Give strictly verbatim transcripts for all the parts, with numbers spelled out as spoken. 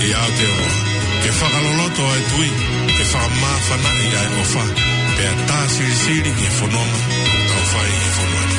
ʻIo Aotearoa, ke fakaloloto ʻa e tui, ke fakamāfanaʻi ʻa e ʻofa, pea tā silisili ki he fononga ʻoku tau fai ʻi he fonua ni.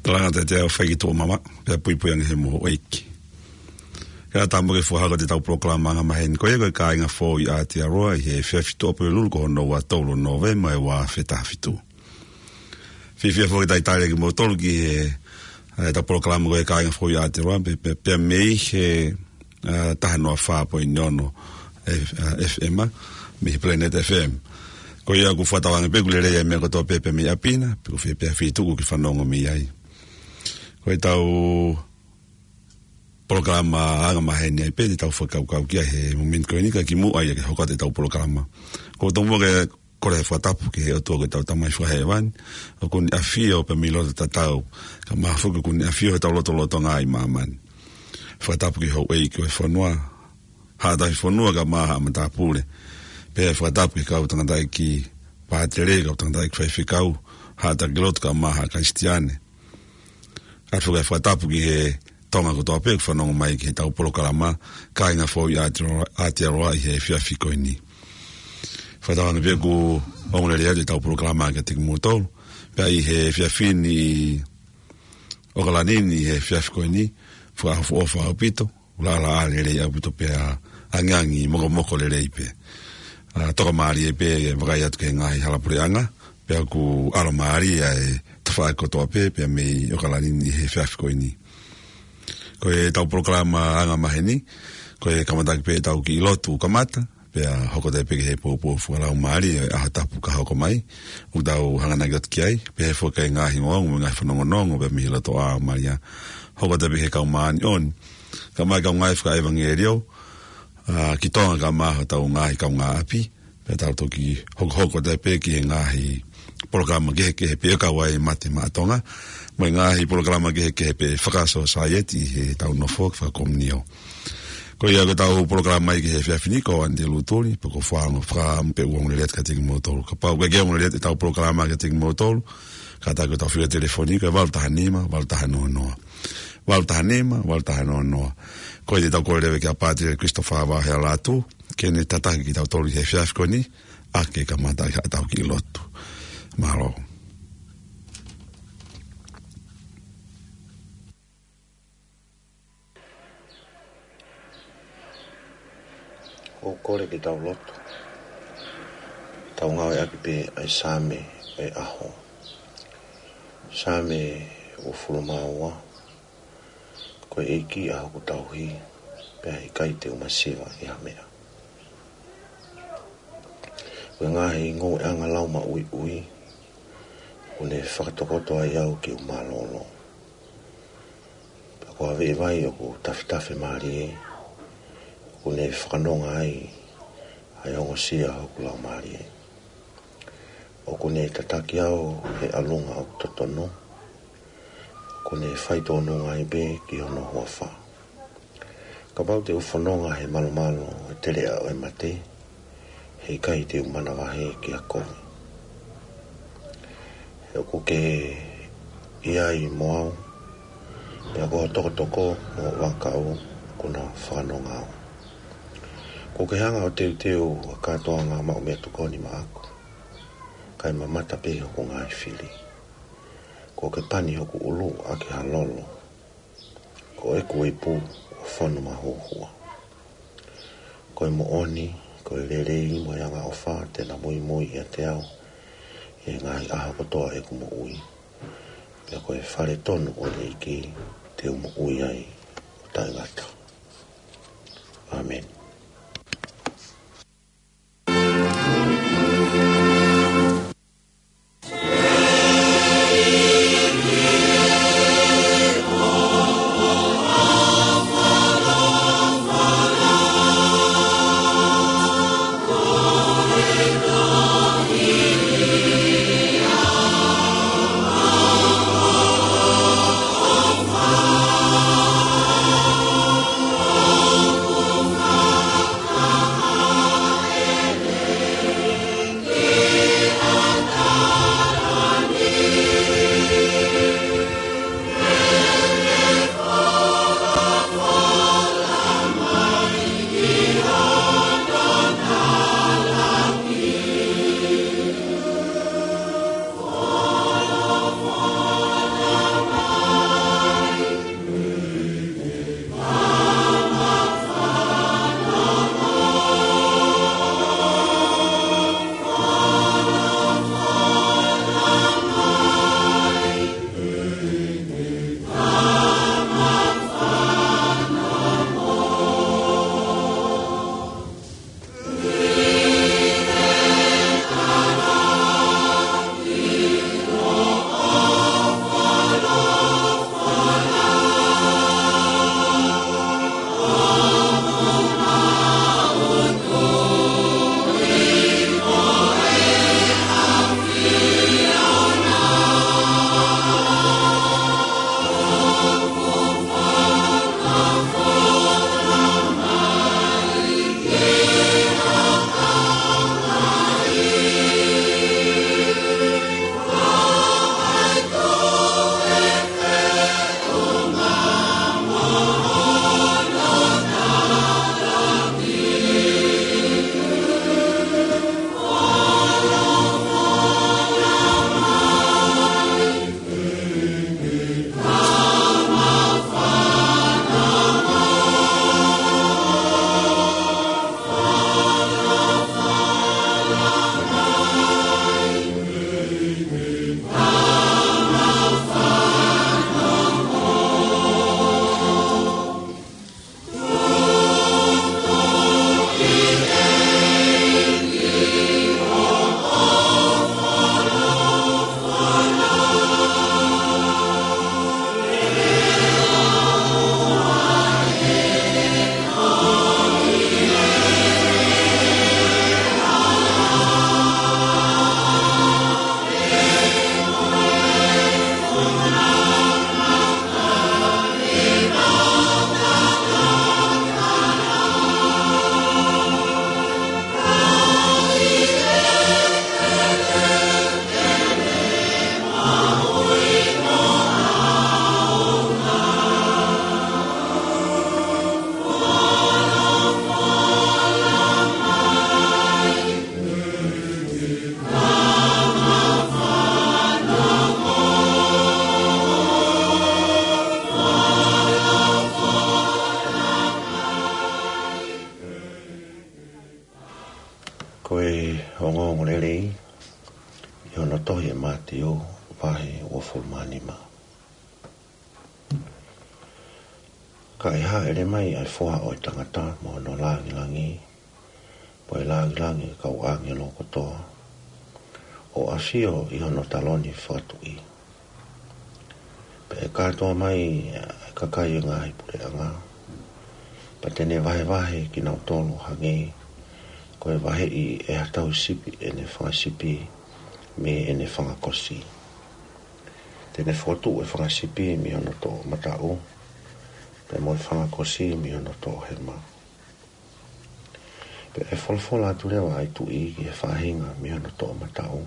Tokanga atu ʻa e faikituʻa mama, pea puipui ange he moʻo ʻeiki. Kae ʻatā mo ke fakahoko atu ʻetau polokalama anga maheni ko ia ko e Kāinga Foʻou ʻi Aotearoa ʻi he efiafi Tuʻapulelulu ko hono ua tolu Nōvema ʻo e ua afe taha fitu. Fiefia foki ke talitali kimoutolu ki he, ʻetau polokalama ko e Kāinga Foʻou ʻi Aotearoa, pea, pea, pea mei he, ʻa, taha noa fā poini ono, F-, ʻa, F M, mei he Planet F M. Ko ia ʻoku fakatauange pē ʻoku lelei ʻa e meʻa kotoa pē, pea mei ʻapi na, pe ko fē pē feituʻu ʻoku ke fanongo mei ai. Ko ʻetau polokalama anga maheni ai pē te tau fakakaukau ki ai he momeniti ko eni ka kimuʻa ia ke hoko atu ʻetau polokalama. ʻOku ou tomuʻa ke kole e fakatapu ki he ʻOtua ko ʻetau Tamai Fakahēvani, ʻoku ne ʻafio pē mei loto tatau, kae ʻumaʻā foki ʻoku ne ʻafio heʻetau lotolotonga ʻi māmani. Fakatapu ki he houʻeiki ʻo e fonua, haʻa tafifonua kae ʻumaʻā haʻa matāpule. Pea fakatapu ki he kau tangataʻeiki pātele, kau tangataʻeiki faifekau, haʻa taki lotu kae ʻumaʻā haʻa Kalisitiane. ʻOatu foki e fakatapu ki he Tonga kotoa pē ʻoku fanongo mai ki heʻetau polokalama Kāinga Foʻou ʻi Aotearoa, Aotearoa ʻi he efiafi ko eni. Fakatauange pē ʻoku ongo lelei atu ʻetau polokalama kiate kimoutolu. Pea ʻi he efiafi ni ʻi ʻOkalani ni ʻi he efiafi ko eni, fakaʻofoʻofa ʻaupito, ʻulālaʻā lelei ʻaupito pea angiangi mokomoko lelei pē. ʻA, tokamālie pē e vakai atu ki he ngaahi halapuleʻanga, pea ʻoku ʻalomālie ʻa e tafaʻaki kotoa pē, pea mei ʻOkalani ni ʻi he efiafi ko eni. Ko ʻetau polokalama anga maheni, ko e kamataʻaki pē ʻetau kiʻi lotu kamata, pea hoko atu pē ki he poupou fakalaumālie ʻo e ʻaho tapu ka hoko mai, ʻoku tau hanganaki atu ki ai, pea hoko atu ki he ngaahi ongoongo mo e ngaahi fanongonongo pea mei he lotoʻā ʻo Malia. Hoko atu pē ki he kau māʻoniʻoni, kae ʻumaʻā e kau ngāue fakaʻevangeliō, ʻa, ki Tonga kae ʻumaʻā hotau ngaahi kaungāʻapi, pea tau toki hokohoko atu pē ki he ngaahi polokalama kehekehe pē ʻoku kau ai e Mate Maʻa Tonga, mo e ngaahi polokalama kehekehe pē fakasōsaieti ʻi heʻetau nofo fakakomiunio. Ko ia ko ʻetau polokalama ia ki he efiafi ni ko ʻAnite Lutuli, pea ʻoku ou fakaʻamu pē ʻoku ongo lelei atu kiate kimoutolu. Kapau ʻoku ʻikai ke ongo lelei atu ʻetau polokalama kiate kimoutolu, kātaki ʻo tau fili telefoni ko e valu taha nima, valu taha noa noa. Valu taha nima, valu taha noa noa. Ko ia te tau kole leva kia Pātele Christopher Vaohea Lātū, ke ne tataki kitautolu ʻi he efiafi ko eni, ʻa ke kamata ʻi haʻatau kiʻi lotu. Mālō. ʻOku ou kole ke tau lotu. Tau ngāueʻaki pē ʻa e Saame ʻo e ʻaho. Saame uofulu mā ua. Ko e ʻEiki ʻa hoku tauhi, pea ʻe ʻikai te u masiva ʻi ha meʻa. Ko e ngaahi ngoueʻanga laumaʻuiʻui, ʻoku ne fakatokoto ai au ke u mālōlō. Pea ko ha veʻe vai ʻoku tafetafe mālie, ʻoku ne fakanonga ai ʻa e ongosia hoku laumālie. ʻOku ne tataki au he ʻalunga ʻoku totonu, ʻoku ne faitōnunga ai pē ki hono huafa. Kapau te u fononga he malumalu ʻo e teleʻa ʻo e mate, he ʻikai te u manavahē kia koe. He ʻoku ke ʻi ai mo au, pea ko ho tokotoko mo ho vaʻa kaʻu kuo na fakanonga au. Kuo ke hanga ʻo teuteu ʻa e kātoanga maʻu meʻatokoni maʻaku, kae mamata pē hoku ngaahi fili. Kuo ke pani hoku ʻulu ʻaki ha lolo, ko ʻeku ipu kuo fonu mahuohua. Ko e moʻoni, ko e lelei mo e angaʻofa te na muimui ʻiate au ʻi he ngaahi ʻaho kotoa ʻeku moʻui. Pea ko e fale tonu ʻo e ʻEiki te u moʻui ai ʻo taʻengata. ʻĀmeni. nima. Ka ʻe hāʻele mai ʻa e Foha ʻo e tangata mo hono langilangi, mo e langilangi ʻo e kau ʻāngelo kotoa, ʻo ʻafio ʻi hono taloni fakatuʻi. Pea ʻe kātoa mai ʻa e kakai ʻo e ngaahi puleʻanga, pea te ne vahevahe kinautolu ʻo hangē ko e vaheʻi ʻe ha tauhi sipi ʻene fanga sipi mei heʻene fanga kosi. Te ne fokotuʻu ʻa e fanga sipi mei hono toʻomataʻu, pea mo e fanga kosi mei hono toʻohema. Pea ʻe folofola atu leva ʻa e Tuʻi ki he faʻahinga mei hono toʻomataʻu: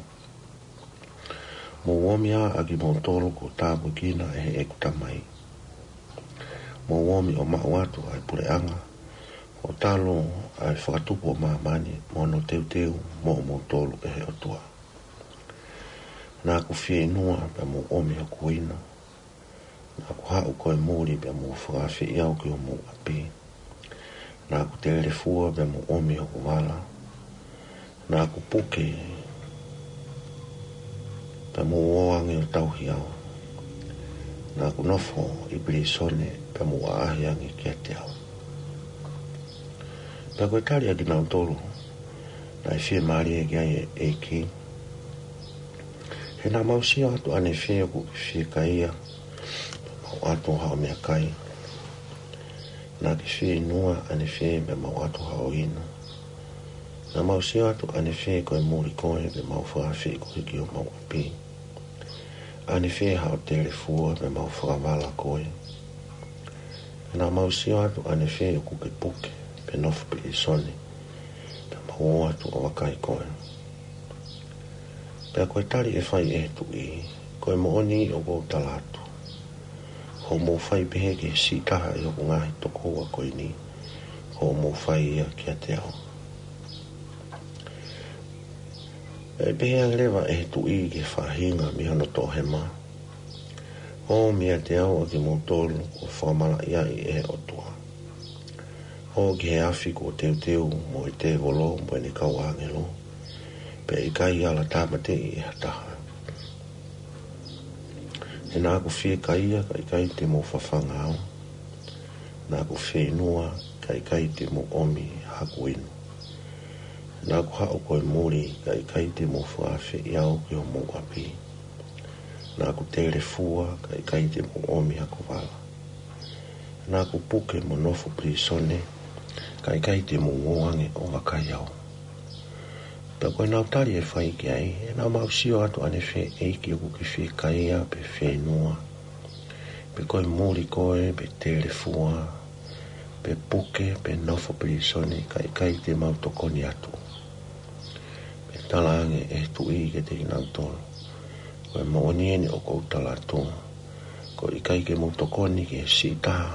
Mou omi ā ʻa kimoutolu kuo tāpuekina ʻe heʻeku Tamai. Mou omi ʻo maʻu atu ʻa e puleʻanga, ʻo talu ʻa e fakatupu ʻo māmani mo hono teuteu moʻomoutolu ʻe he ʻOtua. Naʻa ku fieinua pea mou ʻomi hoku inu. Naʻa ku haʻu ko e muli pea mou fakaafeʻi au ki homou ʻapi. Naʻa ku telefua pea mou ʻomi hoku vala. Naʻa ku puke pea mou ō ange ʻo tauhi au. Naʻa ku nofo ʻi pilīsone pea mou ʻaʻahi ange kiate au. Pea ko e tali ʻa kinautolu naʻe fiemālie ki ai ʻa e ʻEiki: He naʻa mau sio atu ʻanefē ʻoku ke fiekaia pea mau ʻatu haʻo meʻakai? Naʻa ke fieinua ʻanefē pea mau ʻatu haʻo inu? Naʻa mau sio atu ʻanefē ko e muli koe pea mau fakaafeʻi koe ki homau ʻapi? ʻAnefē haʻo telefua pea mau fakavala koe? Naʻa mau sio atu ʻanefē ʻoku ke puke pe nofo pilīsone pea mau ō atu ʻo vakai koe? Pea ko e tali ʻe fai ʻe he Tuʻi: Ko e moʻoni ʻoku ou tala atu, hoʻomou fai pehē ki he siʻi taha ʻi hoku ngaahi tokoua ko eni, hoʻomou fai ia kiate au. Pea ʻe pehē ange leva ʻe he Tuʻi ki he faʻahinga mei hono toʻohema: Ō meiate au ʻa kimoutolu kuo fakamalaʻiaʻi ʻe he ʻOtua. Ō ki he afi kuo teuteu mo e tēvolo mo ʻene kau ʻāngelo, pea ʻikai ala tāmateʻi ʻe ha taha. He naʻa ku fiekaia, kae ʻikai te mou fafanga au. Naʻa ku fieinua, kae ʻikai te mou ʻomi haku inu. Naʻa ku haʻu ko e muli, kae ʻikai te mou fakaafeʻi au ki homou ʻapi. Naʻa ku telefua, kae ʻikai te mou ʻomi haku vala. Naʻa ku puke mo nofo pilīsone, kae ʻikai te mou ō ange ʻo vakai au. Pea ko ʻenau tali ʻe fai ki ai: He naʻa mau sio atu ʻanefē, ʻEiki, ʻoku ke fiekaia pe fieinua, pe ko e muli koe, pe telefua, pe puke, pe nofo pilīsone, kae ʻikai te mau tokoni atu? Pea talaange ʻe he Tuʻi kiate kinautolu: Ko e moʻoni eni ʻoku ou tala atu, ko e ʻikai ke mou tokoni ki he siʻi taha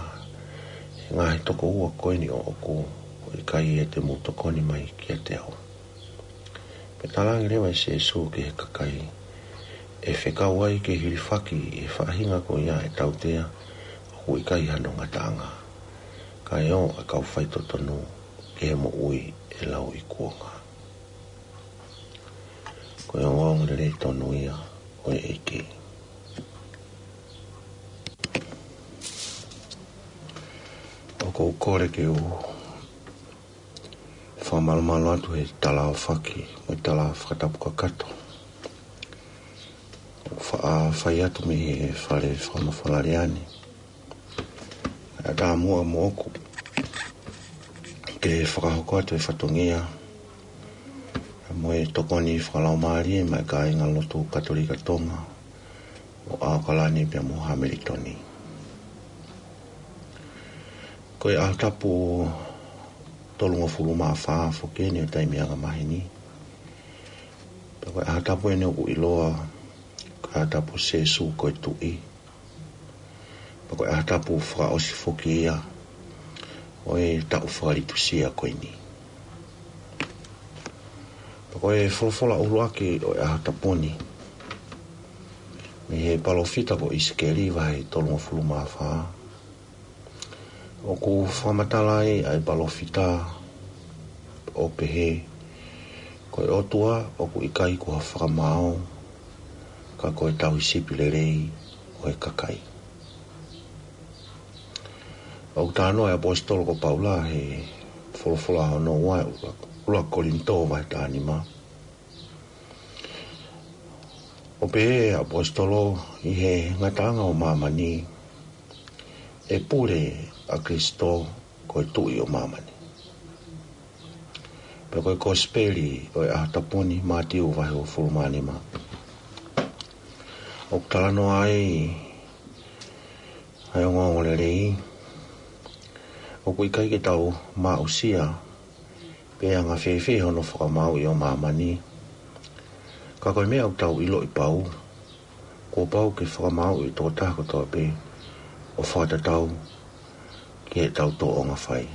ʻi he ngaahi tokoua ko eni ʻoʻoku, ko e ʻikai ia te mou tokoni mai kiate au. Pea talaange leva ʻe Sēsū ki he kakai: ʻE fekau ai ke hilifaki ʻi he faʻahinga ko ia ʻa e tautea ʻoku ʻikai hano ngataʻanga, kae ō ʻa e kau faitotonu ki he moʻui ʻe lauikuonga. Ko e ongoongolelei tonu ia ʻo e ʻEiki. ʻOku ou kole ke u fakamalumalu atu he tala aofaki mo e tala fakatapu kakato ʻoku faʻa fai atu mei he fale fakamafola Lea ni. ʻA e taumuʻa moʻoku ke fakahoko atu e fatongia mo e tokoni fakalaumālie maʻa e kāingalotu Katolika Tonga ʻo ʻAokalani pea mo Hamilitoni. Ko e ʻaho tapu tolungofulu mā fā foki eni ʻo e taimi anga maheni. Pea ko e ʻaho tapu eni ʻoku ʻiloa ko e ʻaho tapu Sēsū ko e Tuʻi. Pea ko e ʻaho tapu fakaʻosi foki ia ʻo e taʻu fakalitusia ko eni. Pea ko e folofola ʻuluaki ʻo e ʻaho tapu ni, mei he palōfita ko ʻIsikeli, vahe tolungofulu mā fā. ʻOku fakamatala ai ʻa e palōfita ʻo pehē: Ko e ʻOtua ʻoku ʻikai ko ha fakamaau, ka ko e tauhi sipi lelei, e kakai. ʻOku talanoa e ʻaposetolo ko Paula he folofola hono ua, ʻuluaki Kolinitō vahe taha nima. ʻO pehē ʻe he ʻaposetolo, ʻi he ngataʻanga ʻo māmani, ʻe pule ʻa Kalaisi ko e Tuʻi ʻo māmani. Pea ko e Kosipeli ʻo e ʻaho tapu ni, Mātiu vahe uofulu mā nima, ʻoku talanoa ai ʻa e ongoongolelei, ʻoku ʻikai ke tau maʻusia pe anga fēfē hono fakamāuʻi ʻo māmani. Ka ko e meʻa ʻoku tau ʻiloʻi pau, kuo pau ke fakamāuʻi e tokotaha kotoa pē ʻo fakatatau ki heʻetau tōʻonga fai.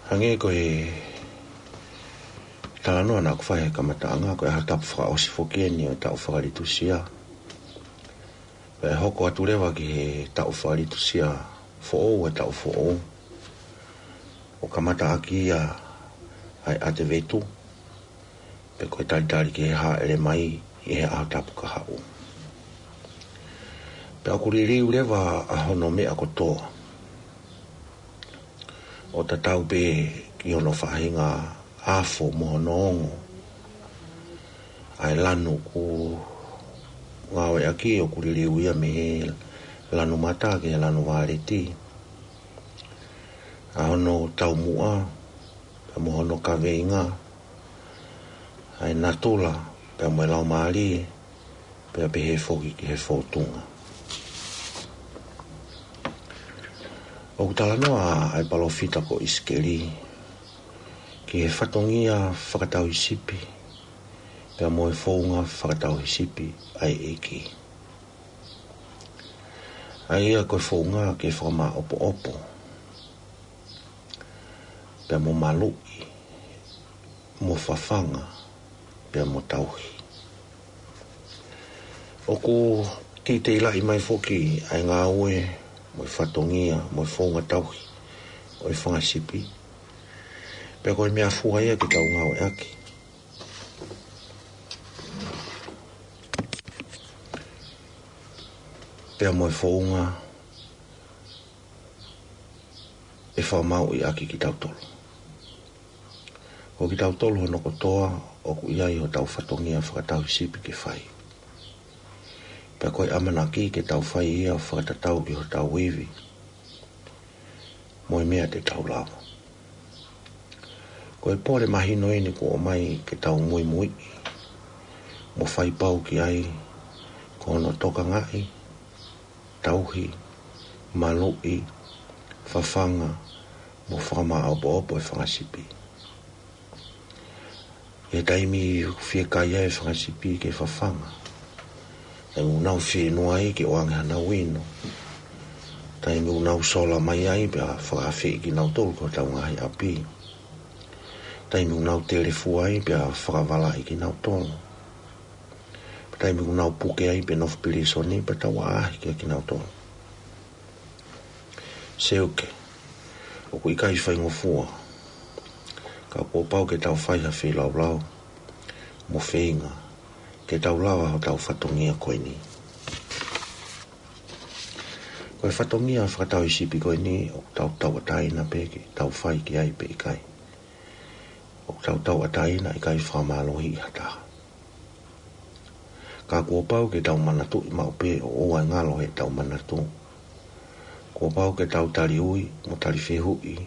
Hangē ko e talanoa naʻa ku fai he kamataʻanga, ko e ʻaho tapu fakaʻosi foki eni ʻo e taʻu fakalitusia. Pea ʻe hoko atu leva ki he taʻu fakalitusia foʻou, e taʻu foʻou, ʻo kamataʻaki ia ʻa e ʻAtevetu, pe ko e talitali ki he hāʻele mai ʻi he ʻaho tapu kahaʻu. Pea ʻoku liliu leva ʻa hono meʻa kotoa, ʻo tatau pē ki hono faʻahinga afo mo hono ongo. ʻA e lanu ʻoku ngāueʻaki ʻoku liliu ia mei he lanu mata ki he lanu vāleti. ʻA hono taumuʻa, pea mo hono kaveinga, ʻa e natula, pea mo e laumālie, pea pehē foki ki he fōtunga. ʻOku talanoa ʻa e palōfita ko ʻIsikeli ki he fatongia fakatauhisipi, pea mo e founga fakatauhisipi ʻa e ʻEiki. ʻA ia ko e founga ke fakamāʻopoʻopo, pea mo maluʻi, mo fafanga, pea mo tauhi. ʻOku teiteilaʻi mai foki ʻa e ngāue, mo e fatongia, mo e founga tauhi ʻo e fanga sipi. Pea ko e meʻafua ia ke tau ngāueʻaki. Pea mo e founga ʻe fakamāuʻi ʻaki kitautolu. Ko kitautolu hono kotoa ʻoku ʻi ai hotau fatongia fakatauhisipi ke fai. Pea ko e ʻamanaki ke tau fai ia ʻo fakatatau ki hotau ivi mo e meʻa te tau lava. Ko e pole mahino eni kuo ʻomai ke tau muimuiʻi mo fai pau ki ai, ko hono tokangaʻi, tauhi, maluʻi, fafanga, mo fakamāʻopoʻopo e fanga sipi. ʻI he taimi ʻoku fiekai ai e fanga sipi ke fafanga, taimi ʻoku nau fieinua ai ke ʻoange hanau inu, taimi ʻoku nau sola mai ai pea fakaafeʻi kinautolu ki hotau ngaahi ʻapi, taimi ʻoku nau telefua ai pea fakavalaʻi kinautolu, taimi ʻoku nau puke ai pe nofo pilīsone pea tau ʻaʻahi kia kinautolu. Seuke, ʻoku ʻikai faingofua, ka kuo pau ke tau fai ha feilaulau mo feinga ke tau lava hotau fatongia ko eni. Ko e fatongia fakatauhisipi ko eni ʻoku tau tauʻatāina pē ke tau fai ki ai pe ʻikai. ʻOku tau tauʻatāina ʻikai fakamālohiʻi ha taha. Ka kuo pau ke tau manatuʻi maʻu pē ʻo ʻoua ʻe ngalo heʻetau manatu. Kuo pau ke tau taliui mo talifehuʻi,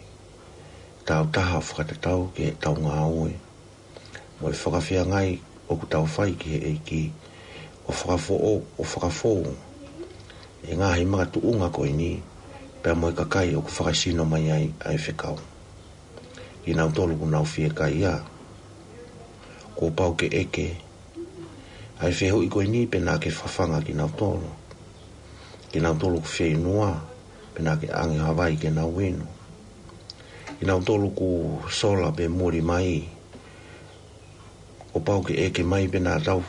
tau taha fakatatau ki heʻetau ngāue mo e fakafeangai ʻoku tau fai ki he ʻEiki, ʻo fakafoʻou, ʻo fakafou e ngaahi makatuʻunga ko eni, pea mo e kakai ʻoku fakasino mai ai ʻa e fekau. Kinautolu ʻoku nau fiekaia, kuo pau ke ʻeke ʻa e fehuʻi ko eni pe naʻa ke fafanga kinautolu. Kinautolu ʻoku fieinua, pe naʻa ke ʻange ha vai ke nau inu. Kinautolu ʻoku sola pe muli mai, kuo pau ke ʻeke mai pe naʻa tau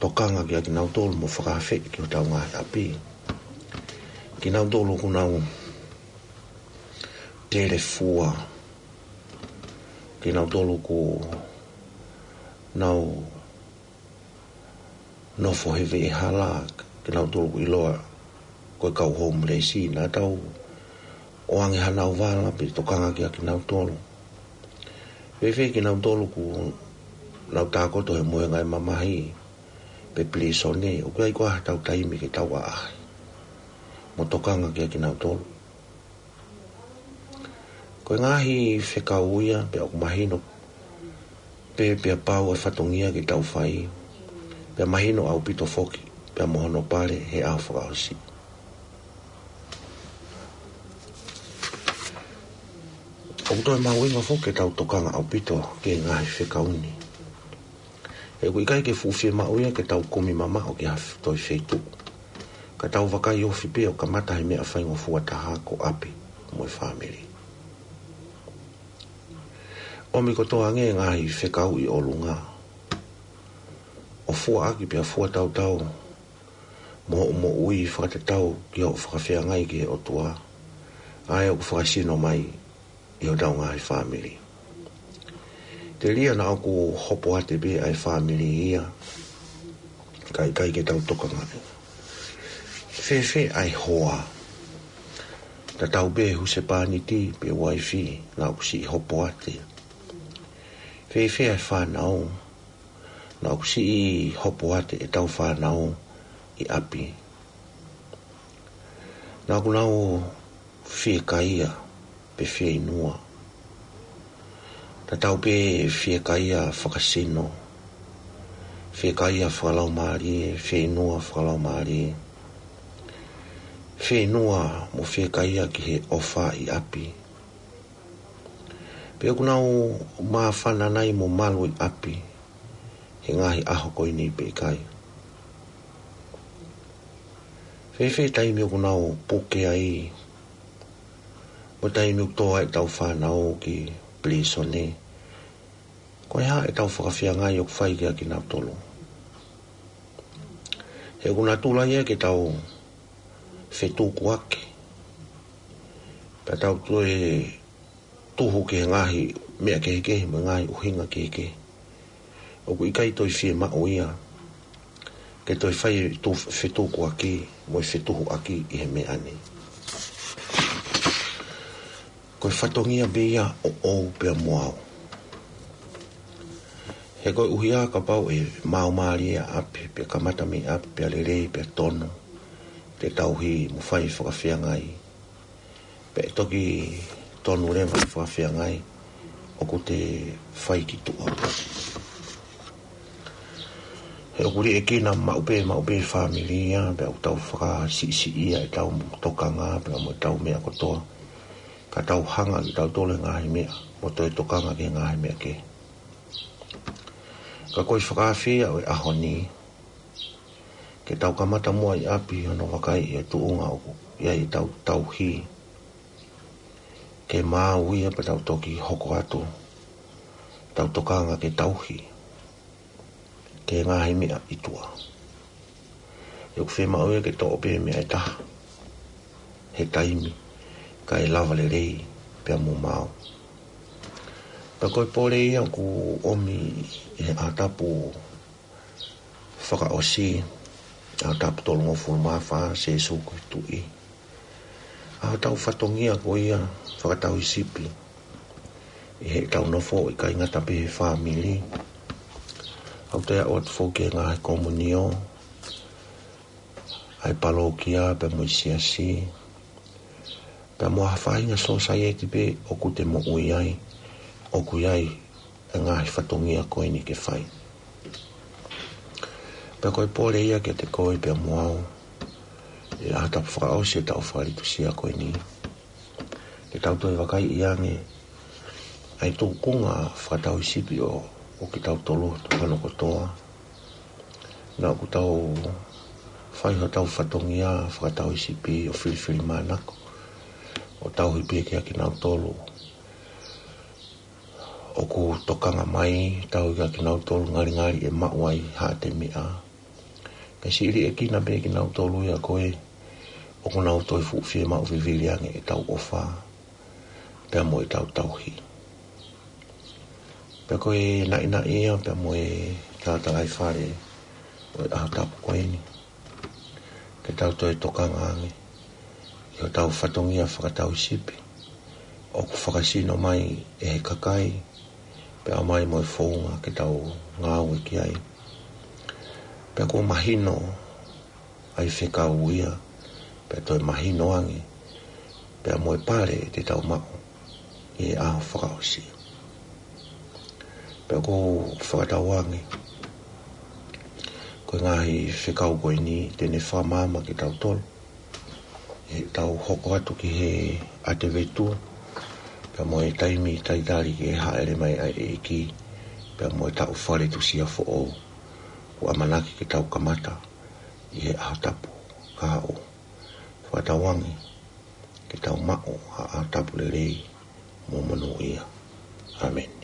tokanga kia kinautolu mo fakaafeʻi ki hotau ngaahi ʻapi. Kinautolu ʻoku nau telefua, kinautolu ʻoku nau nofo he veʻehala, kinautolu ʻoku ʻiloa ko e kau homeless, naʻa tau ʻoange hanau vala pe tokanga kiate kinautolu. Fēfē kinautolu ʻoku nau tākoto he mohenga ʻo e mamahi pe pilīsone, ʻoku ʻi ai koā haʻatau taimi ke tau ʻaʻahi mo tokanga kiate kinautolu? Ko e ngaahi fekau ia, pea ʻoku mahino pē pea pau e fatongia ke tau fai, pea mahino ʻaupito foki pea mo hono pale he ʻaho fakaʻosi. ʻOku toe mahuʻinga foki ke tau tokanga ʻaupito ki he ngaahi fekau ni. He ʻoku ʻikai ke fuʻu fiemaʻu ia ke tau kumi mamaʻo ki ha toe feituʻu, ka tau vakai ofi pē ʻo kamata he meʻa faingofua taha, ko ʻapi mo e fāmili. ʻOmi kotoa ange e ngaahi fekau ʻi ʻolunga, ʻo fuaʻaki pea fuatautau mo hoʻo moʻui fakatatau ki hoʻo fakafeangai ki he ʻOtua, ʻa ia ʻoku fakasino mai ʻi hotau ngaahi fāmili. Telia naʻa ʻoku hopoate pē ʻa e fāmili ia, ka ʻikai ke tau tokangaʻi. Fēfē ʻa e hoa? Tatau pē husepāniti pe uaifi, naʻa ʻoku siʻi hopoate. Fēfē ʻa e fānau? Naʻa ʻoku siʻi hopoate ʻetau fānau ʻi ʻapi? Naʻa ʻoku nau fiekaia pe fieinua? Tatau pē fiekaia fakasino, fiekaia fakalaumālie, fieinua fakalaumālie, fieinua mo fiekaia ki he ʻofa ʻi ʻapi? Pe ʻoku nau māfana nai mo malu ʻi ʻapi he ngaahi ʻaho ko eni pe ʻikai? Fēfē taimi ʻoku nau puke ai, mo taimi ʻoku tō ai ʻetau fānau ki pilīsone? Ko e hā ʻetau fakafeangai ʻoku fai kiate kinautolu? He ʻoku natula ia ke tau fetukuaki, pea tau toe tuhu ki he ngaahi meʻa kehekehe mo e ngaahi ʻuhinga kehekehe. ʻOku ʻikai toe fiemaʻu ia ke toe fai e tu-, fetukuaki mo e fetuhuaki ʻi he meʻa ni. Ko e fatongia pē ia ʻoʻou pea mo au. He koeʻuhi ā kapau ʻe maumālie ʻa ʻapi, pea kamata mei ʻapi, pea lelei, pea tonu, te tauhi mo fai fakafeangai, pea ʻe toki tonu leva e fakafeangai, ʻoku te fai ki tuʻa. He ʻoku liʻekina maʻu pē, maʻu pē fāmili ia, pea ʻoku tau fakasiʻisiʻia ʻetau tokanga, pea mo ʻetau meʻa kotoa, ka tau hanga ʻe kitautolu he ngaahi meʻa, mo toe tokanga ki he ngaahi meʻa kehe. Ka ko e fakaafe ia ʻo e ʻaho ni, ke tau kamata muʻa ʻi ʻapi hono vakaiʻi e tuʻunga ʻoku ʻi ai ʻetau tauhi, ke maau ia pea tau toki hoko atu ʻetau tokanga ke tauhi ki he ngaahi meʻa ʻi tuʻa. ʻOku fiemaʻu ia ke toʻo pē meʻa ʻe taha he taimi, kae lava lelei pea mo maau. Pea ko e pole ia ʻoku ʻomi ʻi he ʻaho tapu fakaʻosi, ʻaho tapu tolungofulu mā fā, Sēsū ko e Tuʻi. ʻA hotau fatongia ko ia fakatauhisipi ʻi heʻetau nofo, ʻikai ngata pē he fāmili, ʻoku toe aʻu atu foki ki he ngaahi komunio ʻa e palokia pea mo e siasi, pea mo ha faʻahinga sōsaieti pē ʻoku te moʻui ai, ʻoku ʻi ai e ngaahi fatongia ko eni ke fai. Pea ko e pole ia kiate koe pea mo au, ʻi he ʻaho tapu fakaʻosi e taʻu fakalitusia ko eni, ke tau toe vakaiʻi ange ʻa e tūkunga fakatauhisipi ʻo, ʻo kitautolu, tuʻu hono kotoa. Naʻa ʻoku tau fai hotau fatongia fakatauhisipi ʻo filifilimānako, ʻo tauhi pē kiate kinautolu ʻoku tokanga mai, tauhi kiate kinautolu ngalingali ʻe maʻu ai haʻate meʻa. Kae siʻi liʻekina pē kinautolu ia ko ē ʻoku nau toe fuʻu fiemaʻu vivili ange ʻetau ʻofa pea mo ʻetau tauhi. Pea ko e naʻinaʻi ia pea mo e talatalaifale ʻo e ʻaho tapu ko eni, ke tau toe tokanga ange ʻi hotau fatongia fakatau sipi ʻoku fakasino mai ʻe he kakai, pea ʻomai mo e founga ke tau ngāue ki ai. Pea kuo mahino ʻa e fekau ia, pea toe mahino ange pea mo e pale te tau maʻu ʻi he ʻaho fakaʻosi. Pea ʻoku ou fakatauange ko e ngaahi fekau ko eni te ne fakamaama kitautolu ʻi heʻetau hoko atu ki he ʻatevetu, pea mo e taimi talitali ki he hāʻele mai ʻa e ʻEiki, pea mo e taʻu faletusia foʻou kuo ʻamanaki ke tau kamata ʻi he ʻaho tapu kahaʻu. Fakatauange ke tau maʻu ha ʻaho tapu lelei mo monūʻia. ʻĀmeni.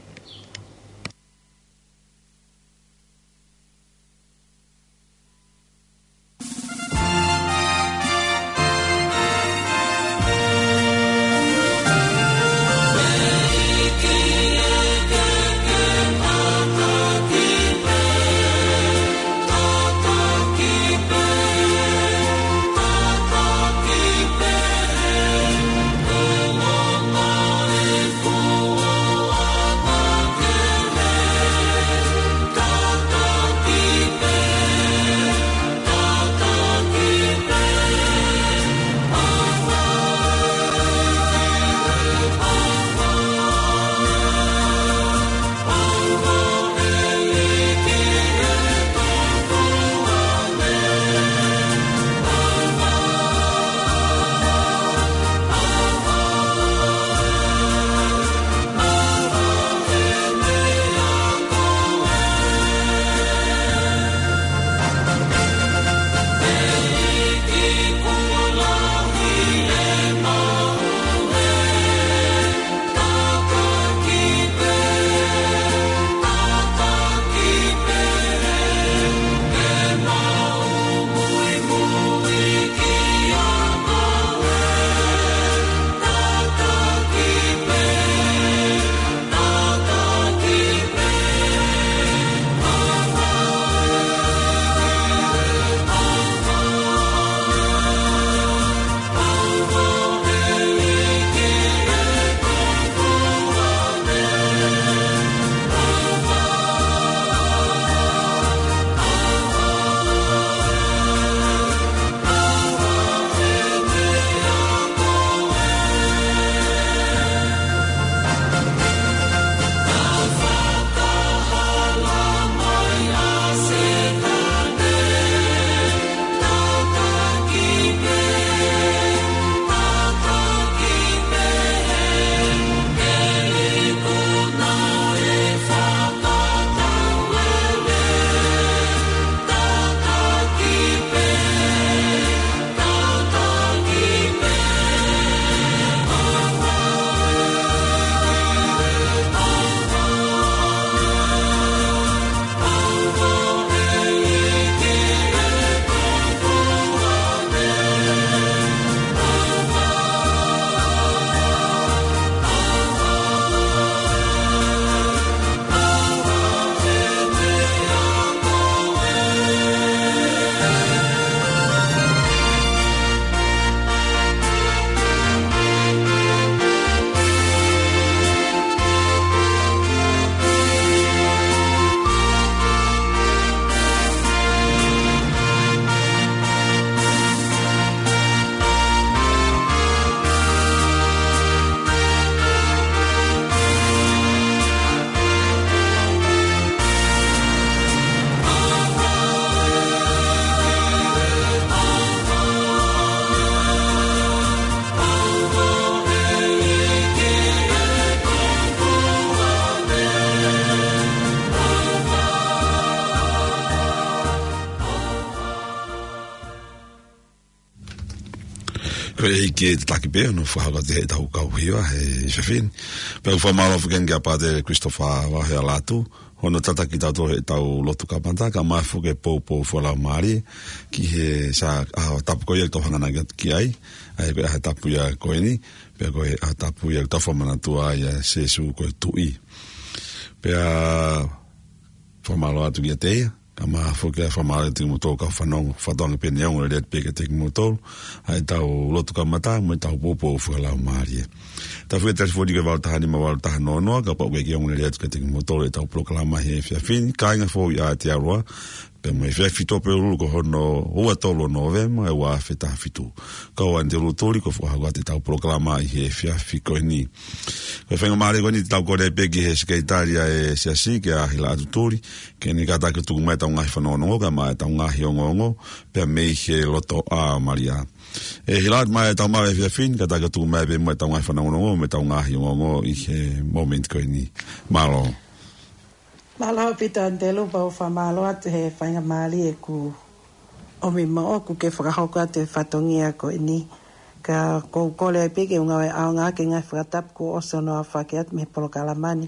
Ko e ʻEiki ke tataki pē hono fakahoko atu heʻetau kau hiva he efiafi ni. Pea ʻoku fakamālō foki ange kia Pātele Christopher Vahealatu, hono tataki kitautolu heʻetau lotu kamata, kae ʻumaʻā foki e poupou fakalaumālie ki he Sā-, ʻaho tapu ko ia ʻoku tau hanganaki atu ki ai, ʻa ia ko e ʻaho tapu ia ko eni, pea ko e ʻaho tapu ia ʻoku tau fakamanatua ai ʻa Sīsū ko e Tuʻi. Pea fakamālō atu kiate ia, Kae ʻumaʻā foki ʻa e fakamālō atu kiate kimoutolu kau fanongo, fakatauange pē ʻoku ʻosi lelei atu pē kiate kimoutolu ʻa ʻetau lotu kamata mo ʻetau poupou fakalaumālie. Tau fika telefoni ko e valu taha nima valu taha noa noa, kapau ʻoku ʻikai ke ʻosi lelei atu kiate kimoutolu ʻetau polokalama he efiafi ni, kāinga foʻou ʻi Aotearoa, pea mo e efiafi Tuʻapulelulu ko hono ua tolu ʻo Nōvema, ʻa e ua afe taha fitu. Ko au ʻAnitelū Tuli, ko e fakahoko atu ʻetau polokalama ʻi he efiafi ko eni. Ko e faingamālie ko eni te tau kole pē ki he sekelitali ʻa e Siasi, kia Hila Atu Tuli, ke ne kātaki ʻo tuku mai ʻetau ngaahi fanongonongo, kae ʻumaʻā ʻetau ngaahi ongoongo, pea mei he loto ʻa Malia. ʻE Hila, ʻomai ʻetau maʻu efiafi ni, kātaki ʻo tuku mai pē muʻa ʻetau ngaahi fanongonongo, mo ʻetau ngaahi ongoongo ʻi he mōmeniti ko eni. Mālō. Mālō ʻaupito ʻAnitelū, pea ʻoku ou fakamālō atu he faingamālie ʻoku ʻomi maʻaku ke fakahoko atu e fatongia ko eni. Ka ʻoku ou kole ai pē ke u ngāue ʻaonga ʻaki e ngaahi fakatapu kuo ʻosi hono aofaki atu mei he polokalama ni.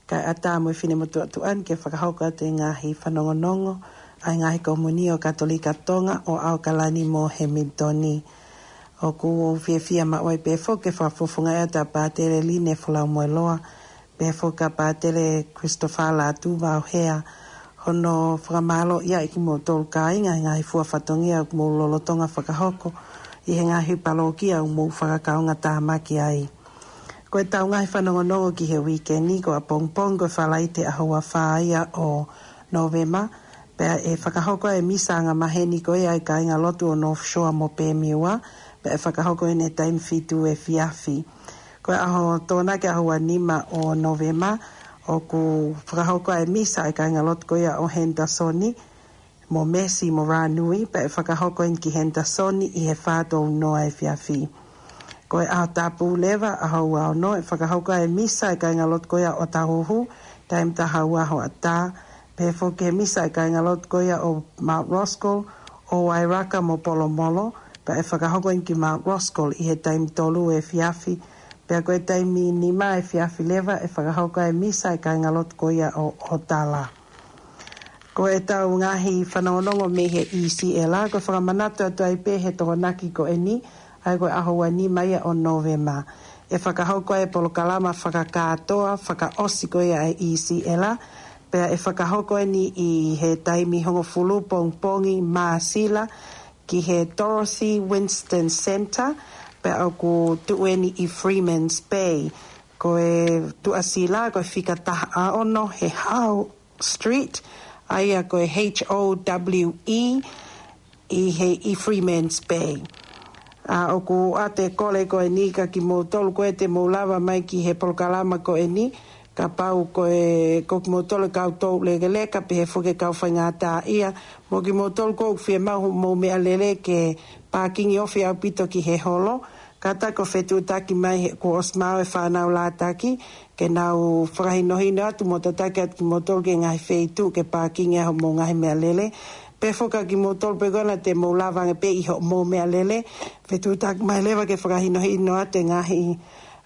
Kae ʻatā mo e finemotuʻa tuʻa ni ke fakahoko atu e ngaahi fanongonongo ʻa e ngaahi komiunitī ʻo Katolika Tonga ʻo ʻAokalani mo Hemilitoni. ʻOku ou fiefia maʻu ai pē foki ke fakafofongaʻi atu ʻa Pātele Line Folaumueloa, pea foki ʻa Pātele Christopher Lātū Vaohea, hono fakamālō ia ʻi kimoutolu kāinga he ngaahi fua fatongia ʻoku mou lolotonga fakahoko ʻi he ngaahi palōkia ʻoku mou fakakaungatāmaki ai. Ko ʻetau ngaahi fanongonongo ki he uike ni, ko ʻapongipongi ko e Falaite ʻaho ua fā ia ʻo Nōvema, pea ʻe fakahoko ai e misa angamaheni ko ia ʻa e kāingalotu ʻo North Shore mo Bemiua, pea ʻe fakahoko ʻi he taimi fitu efiafi. Ko e ʻaho Tokonaki ʻaho ua nima ʻo Nōvema, ʻoku fakahoko ai e misa ʻa e kāingalotu ko ia ʻo Henderson, mo Mercy mo Rānui, pea ʻe fakahoko eni ki Henderson ʻi he fā tolu noa efiafi. Ko e ʻaho Tapu leva, ʻaho ua ono, ʻe fakahoko ai e misa ʻa e kāingalotu ko ia ʻo Ōtāhuhu, taimi taha ua hoʻatā, pehē foki e misa ʻa e kāingalotu ko ia ʻo Mount Roskill, ʻo Wairaka mo Polomolo, pea ʻe fakahoko eni ki Mount Roskill ʻi he taimi tolu efiafi, pea ko e taimi nima efiafi leva ʻe fakahoko ai e misa ʻa e kāingalotu ko ia ʻo Ōtala. Ko ʻetau ngaahi fanongonongo mei he E C L, ko e fakamanatu atu ai pē he Tokonaki ko eni, ʻa ia ko e ʻaho ua nima ia ʻo Nōvema. ʻE fakahoko ai e polokalama fakakātoa, fakaʻosi ko ia ʻa e E C L, pea ʻe fakahoko eni ʻi he taimi hongofulu pongipongi Māsila, ki he Dorothy Winston Centre, pea ʻoku tuʻu eni ʻi Freeman's Bay. Ko e tuʻasila, ko e fika taha ono he Howe Street, ʻa ia ko e H O W E, ʻi he, ʻi Freeman's Bay. ʻA, ʻoku ʻoatu e kole ko eni kiate kimoutolu ko ē te mou lava mai ki he polokalama ko eni, kapau ko e, ko kimoutolu e kau toulekeleka, pehē foki e kau faingataʻaʻia, mo kimoutolu ʻoku fiemaʻu hoʻomou meʻalele ke pākingi ofi ʻaupito ki he holo, kātaki ʻo fetuʻutaki mai he kuo ʻosi maʻu e fānau lātaki, ke nau fakahinohino atu mo tataki atu kimoutolu ki he ngaahi feituʻu ke pākingi ai hoʻomou ngaahi meʻalele. Pehē foki kiate kimoutolu pē ko ena te mou lava ange pē ʻi hoʻomou meʻalele, fetuʻutaki mai leva ke fakahinohino atu e ngaahi,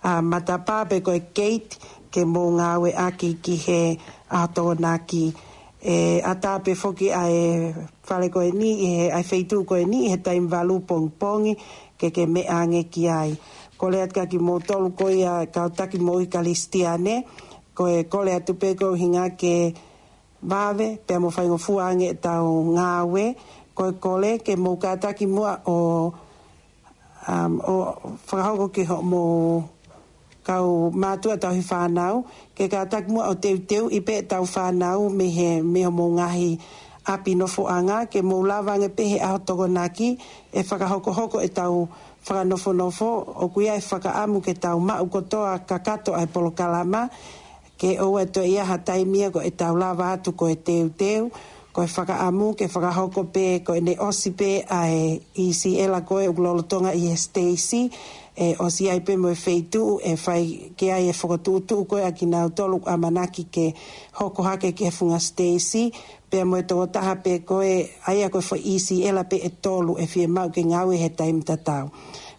ʻa, matapā pe ko e gate ke mou ngāueʻaki ki he ʻaho Tokonaki. ʻE ʻatā pē foki ʻa e fale ko eni, ʻi he, ʻa e feituʻu ko eni, ʻi he taimi valu pongipongi, ke ke meʻa ange ki ai. Kole atu kiate kimoutolu ko ia kau taki moʻui Kalisitiane, ko e kole atu pē ko e ʻuhinga ke vave, pea mo faingofua ange ʻetau ngāue, ko e kole ke mou kātaki muʻa ʻo, um, ʻo fakahoko ki hoʻomou kau mātuʻa tauhi fānau, ke kātaki muʻa ʻo teuteuʻi pē ʻetau fānau mei he, mei hoʻomou ngaahi ʻapi nofoʻanga, ke mou lava ange pē he ʻaho Tokonaki, ʻe fakahokohoko ʻetau fakanofonofo, ʻoku ʻi ai e fakaʻamu ke tau maʻu kotoa kakato ʻa e polokalama, ke ʻoua toe ʻi ai ha taimi ia ko ʻetau lava atu ko e teuteu, ko e fakaʻamu ke fakahoko pē ko ʻene ʻosi pē ʻa e E C L ko ē ʻoku lolotonga ʻi he Stacy, ʻe ʻosi ai pē mo e feituʻu ʻe fai ki ai e fokotuʻutuʻu ko ē ʻa kinautolu ʻoku ʻamanaki ke hoko hake ki he funga Stacy, pea mo e tokotaha pē ko ē, ʻa ia ko e foʻi E C L pē ʻe tolu ʻe fiemaʻu ke ngāue he taimi tatau.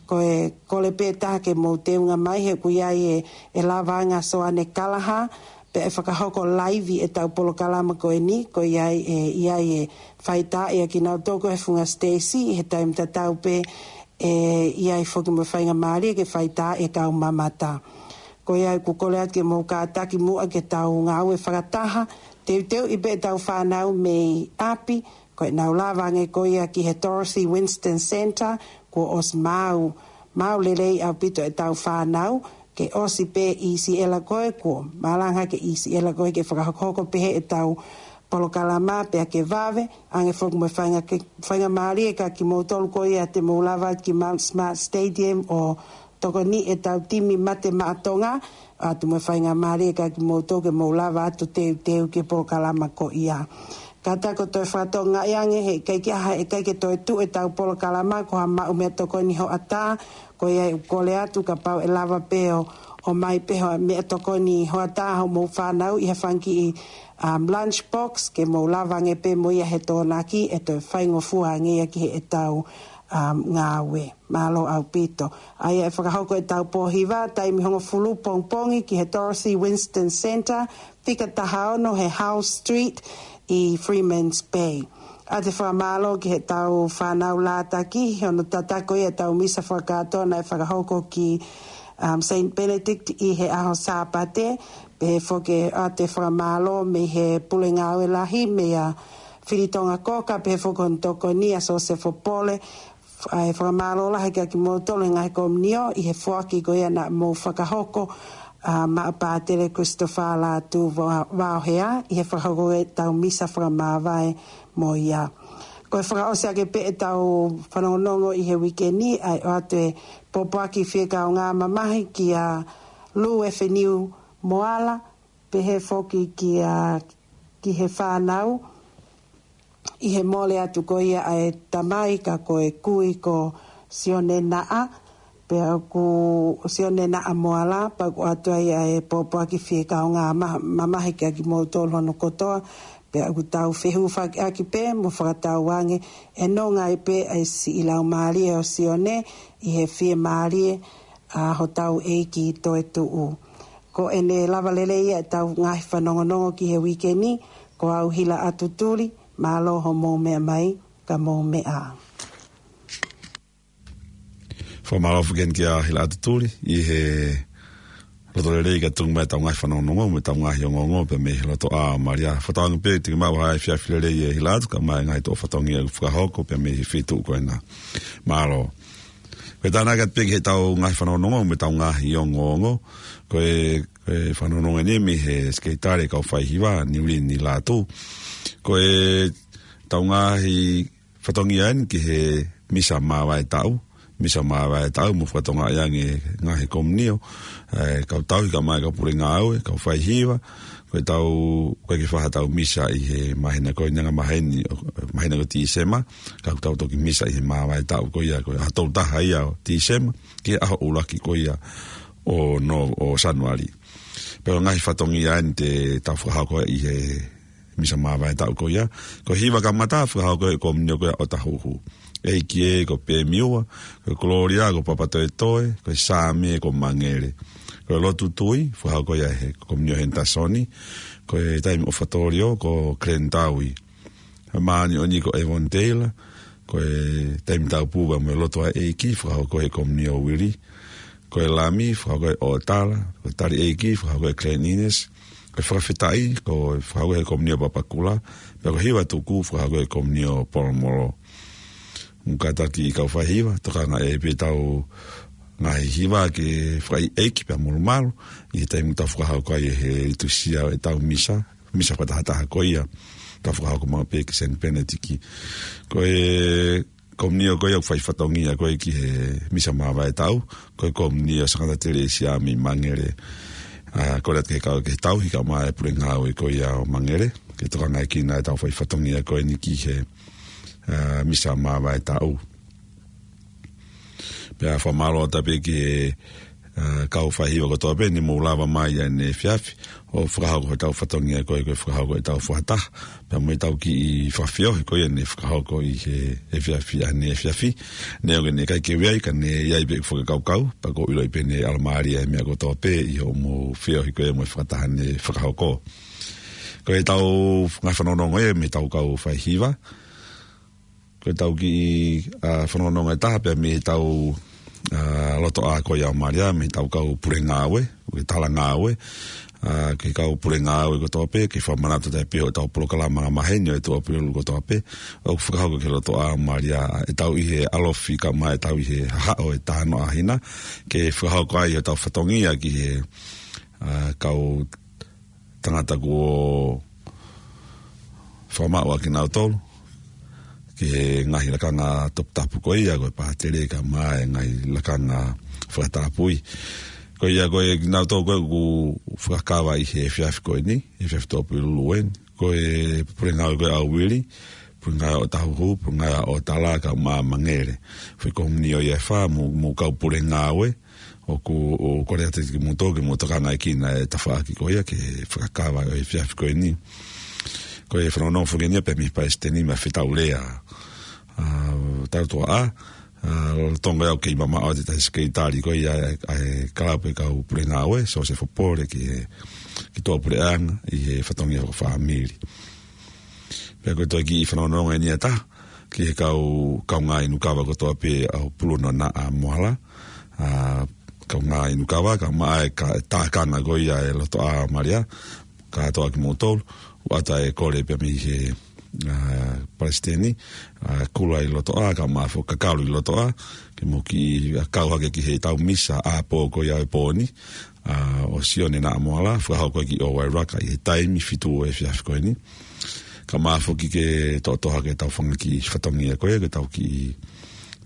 Ko e kole pē taha ke mou teunga mai he ʻoku ʻi ai e, e lavaʻanga Soane Kalaha, pea ʻe fakahoko laivi ʻetau polokalama ko eni, ko ia ʻe, ʻi ai e faitaaʻi ʻa kinautolu ko ē he funga Stacy, he taimi tatau pē ʻe ʻi ai foki mo e faingamālie ke faitaaʻi e kau mamata. Ko ia ʻoku kole atu ke mou kātaki muʻa ke tau ngāue fakataha, teuteuʻi pē ʻetau fānau mei ʻapi, ko ʻenau lava ange ko ia ki he Dorothy Winston Centre, kuo ʻosi maau, maau lelei ʻaupito ʻetau fānau, ke ʻosi pē ʻi Siʻela ko ē, kuo malanga ke ʻi Siʻela ko ē ke fakahokohoko pehē ʻetau polokalama pea ke vave, ange foki mo e fainga ke, faingamālie kia kimoutolu ko ia te mou lava ki Mount Smart Stadium ʻo tokoni ʻetau timi Mate Maʻa Tonga, ʻoatu mo e faingamālie kia kimoutolu ke mou lava atu teuteu ki he polokalama ko ia. Kātaki ʻo toe fakatokangaʻi ange he ʻikai ke ʻi ai ha, ʻikai ke toe tuʻu ʻetau polokalama ko ha maʻu meʻatokoni hoʻatā, ko ia ʻoku kole atu kapau ʻe lava pē ʻo, ʻomai pē ha meʻatokoni hoʻatā hoʻomou fānau ʻi ha fanga kiʻi, um, lunch box ke mou lava ange pē mo ia he Tokonaki ʻe toe faingofua ange ia ki heʻetau, um, ngāue. Mālō ʻaupito. ʻA ia ʻe fakahoko ʻetau pō hiva, taimi hongofulu pongipongi ki he Dorothy Winston Centre, fika taha ono he Howe Street ʻi Freeman's Bay. ʻOatu e fakamālō ki heʻetau fānau lātaki, he ʻoku tataki ʻetau misa fakakātoa naʻe fakahoko ki, um, Saint Benedict ʻi he ʻaho Sāpate, pehē foki ʻoatu e fakamālō mei he pule ngāue lahi, meia Filitonga Koka, pehē foki hono tokoni ʻa Sosefo Pole, ʻa e fakamālō lahi kia kimoutolu he ngaahi komiunio ʻi he foaki ko ia naʻa mou fakahoko, ʻa, maʻa Pātele Christopher Lātū Vao-, Vaohea, ʻi he fakahoko ʻetau misa fakamāvae mo ia. Ko e fakaʻosi ake pē ʻetau fanongonongo ʻi he uike ni, ʻa e ʻoatu e pōpoaki fiekaungā mamahi kia Lou Efeniu Moala, pehē foki kia, ki he fānau, ʻi he mole atu ko ia ʻa e tamai ka ko e kui ko Sione Naʻa, pea ʻoku Sione Naʻa Moala, pea ʻoku ʻoatu ai ʻa e pōpoaki fiekaungā ma-, mamahi kia kimoutolu hono kotoa, pea ʻoku tau fehufakiʻaki pē mo fakatauange ʻe nonga ai pē ʻa e siʻi laumālie ʻo Sione ʻi he fiemālie ʻa hotau ʻEiki toetuʻu. Ko ʻene lava lelei ia ʻetau ngaahi fanongonongo ki he uike ni, ko au Hila ʻAtutuli, mālō hoʻomou meʻa mai, ka mou meʻa. Fakamālō foki eni kia Hila ʻAtutuli, ʻi he loto lelei ka tuku mai ʻetau ngaahi fanongonongo, mo ʻetau ngaahi ongoongo, pea mei he loto ʻā Malia. Fakatauange pē, te ke maʻu ha efiafi lelei ʻe Hila atu, kae ʻumaʻā e ngaahi toʻo fatongia ʻoku fakahoko, pea mei he feituʻu ko ena. Mālō. Ko e tānaki atu pē ki heʻetau ngaahi fanongonongo, mo ʻetau ngaahi ongoongo. Ko e, ko e fanongonongo eni mei he Sekelitali Kau Faihiva, Niulini Lātū. Ko ʻetau ngaahi fatongia eni ki he misa māvae taʻu, misa māvae taʻu, mo fakatokangaʻi ange ngaahi komiunio, ʻa e kau tauhi kae ʻumaʻā e kau pule ngāue, kau faihiva, ko ʻetau, ko e ke faha tau misa ʻi he māhina ko eni anga maheni, māhina ko Tīsema, ka ʻoku tau toki misa ʻi he māvae taʻu ko ia, ko e ʻaho tolu taha ia ʻo Tīsema, ki he ʻaho ʻuluaki ko ia ʻo no-, ʻo Sānuali. Pea ko e ngaahi fatongia eni te tau fakahoko ʻi he misa māvae taʻu ko ia. Ko e hiva kamata, fakahoko ʻe he komiunio ko ia ʻo Tahuhu. ʻEiki ē, ko Pemiua, ko e Kolōlia, ko Papatoetoe, ko e Saame, ko Mangele. Ko e lotu tui, fakahoko ia ʻe he komiunio Hentasoni, ko e taimi ʻofatōlio, ko Glenn Taui. Ko e māʻoniʻoni ko Evon Taylor, ko e taimi taupū pea mo e lotu ʻa e ʻEiki, fakahoko ʻe he komiunio Uili. Ko e lami, fakahoko ʻe ʻOtala, ko e tali ʻEiki, fakahoko ʻe Glenn Innes, ko e fakafetaʻi, ko e fakahoko ʻe he komiunio Papakura, pea ko e hiva tuku, fakahoko ʻe he komiunio Polomolo. Mo kātaki ʻi kau faihiva, tokanga ʻe pē ʻetau ngaahi hiva ke fakaʻeiʻeiki pea molumalu, ʻi he taimi ʻoku tau fakahoko ai ʻe he tusia ʻetau misa, misa fakatahataha ko ia, tau fakahoko maʻu pē ki Saint Benedict. Ko e komiunio ko ia ʻoku fai fatongia ko ē ki he misa māvae taʻu, ko e komiunio Sangata Telesia mei Mangele. ʻA, kole atu ke kau ke tauhi kae ʻumaʻā e pule ngāue ko ia ʻo Mangele, ke tokangaʻi kinaua ʻetau fai fatongia ko eni ki he, ʻa, misa māvae taʻu. Pea fakamālō atu pē ki he, ʻa, kau faihiva kotoa pē ne mou lava mai ʻaneefiafi, ʻo fakahoko hotau fatongia ko ē, ko e fakahoko ʻetau fakataha. Pea mo ʻetau kiʻi fakafeohi ko ia ne fakahoko ʻi he efiafi ʻaneefiafi. Neongo ʻene ʻikai ke u ʻi ai ka ne ʻi ai pē ʻeku fakakaukau, pea ʻoku ou ʻiloʻi pē ne ʻalamālie e meʻa kotoa pē ʻi hoʻomou feohi ko ia mo e fakataha ne fakahoko. Ko ʻetau ngaahi fanongonongo ia mei heʻetau kau faihiva. Ko ʻetau kiʻi, ʻa, fanongonongo ʻe taha pea mei heʻetau, ʻa, loto ʻā ko ia ʻo Malia, mei heʻetau kau pule ngāue, ʻo e tala ngāue, ʻa, ki he kau pule ngāue kotoa pē, ke fakamanatu atu pē ʻo ʻetau polokalama angamaheni ʻo e Tuʻapulelulu kotoa pē, ʻoku fakahoko ki he lotoʻā Malia, ʻa, ʻetau ʻi he ʻalofi kae ʻumaʻā ʻetau ʻi he hahaʻo e Tanoa Hina, ke fakahoko ai ʻetau fatongia ki he, ʻa, kau tangata kuo fakamaʻu ʻa kinautolu, ki he ngaahi lakanga toputapu ko ia, ko e pātele kae ʻumaʻā e ngaahi lakanga fakatapui. Ko ia ko e kinautolu ko ē ʻoku fakakava ʻi he efiafi ko eni, efiafi Tuʻapulelulu eni. Ko e pule ngāue ko ē ʻa Uili, pule ngāue ʻa ʻOtahuhu, pule ngāue ʻa ʻOtala kae ʻumaʻā Mangele. Foʻi komini ʻo ia ʻe fā, mo, mo e kau pule ngāue, ʻoku, ʻoku kole atu kiate kimoutolu ke mou tokangaekina e tafaʻaki ko ia ki he fakakava ʻo e efiafi ko eni. Ko e fanongonongo foki eni ia pea mei he Palesiteni Mafetaulea, ʻa, Tautuaʻa, ʻa, lolotonga ʻeku kei mamaʻo atu ʻi he tahi sekelitali ko ia ʻa e, ʻa e kalapu e kau pule ngāue, Sosefo Pole ki he, ki tuʻapuleʻanga ʻi he fatongia fakafāmili. Pea ko e toe kiʻi fanongonongo eni ʻe taha, ki he kau, kaungā inu kava kotoa pē ʻa Puluna Naʻa Moala, ʻa, kaungā inu kava, kae ʻumaʻā e ka, tākanga ko ia e lotoʻā Malia, kātoa kimoutolu, ʻoatu e kole pea mei he, ʻa, Palesiteni, ʻa, Kula ʻi Lotoʻā, kae ʻumaʻā foki Kakalu ʻi Lotoʻā, ke mou kiʻi, ʻa, kau hake ki heʻetau misa ʻapō ko ia e pō ni, ʻa, ʻo Sione Naʻa Moala, fakahoko ki ʻOvairaka ʻi he taimi fitu ʻo e efiafi ko eni. Kae ʻumaʻā foki ke toʻotoʻo hake ʻetau fanga kiʻi fatongia ko ia, ke tau kiʻi,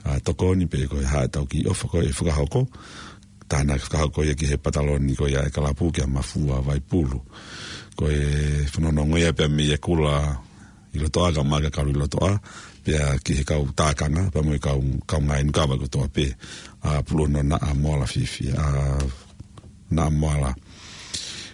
ʻa, tokoni pē ko e hā ʻetau kiʻi ʻofa ko ē ʻe fakahoko. Tānaki fakahoko ia ki he pataloni ko ia e kalapu kia Mafua Vaipulu. Ko e fanongonongo ia pea mei he Kula ʻi Lotoʻā kae ʻumaʻā Kakalu ʻi Lotoʻā, pea ki he kau tākanga, pea mo e kau, kaungā inu kava kotoa pē, ʻa Puluna Naʻa Moala fiefia, ʻa, Naʻa Moala.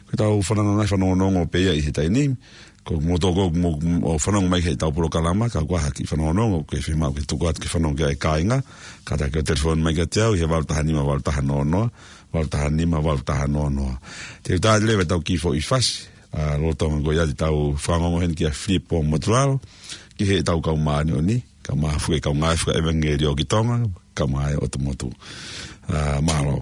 Ko ʻetau fanongo, ngaahi fanongonongo pē ia ʻi he taimi ni, ko moutolu ʻoku mou, ʻo fanongo mai ki heʻetau polokalama, ka ʻoku ʻi ai ha kiʻi fanongonongo ʻoku ke fiemaʻu ke tuku atu ke fanongo ki ai e kāinga, kātaki ʻo telefoni mai kiate au ʻi he valu taha nima valu taha noa noa, valu taha nima valu taha noa noa. Te u tā leva ʻetau kiʻi foʻi fasi, ʻa, lolotonga ko ia te tau fanongo heni kia Filipo Motulalo, ki heʻetau kau māʻoniʻoni, kae ʻumaʻā foki e kau ngāue fakaʻevangeliō ki Tonga, kae ʻumaʻā e ʻOtu Motu. ʻA, mālō.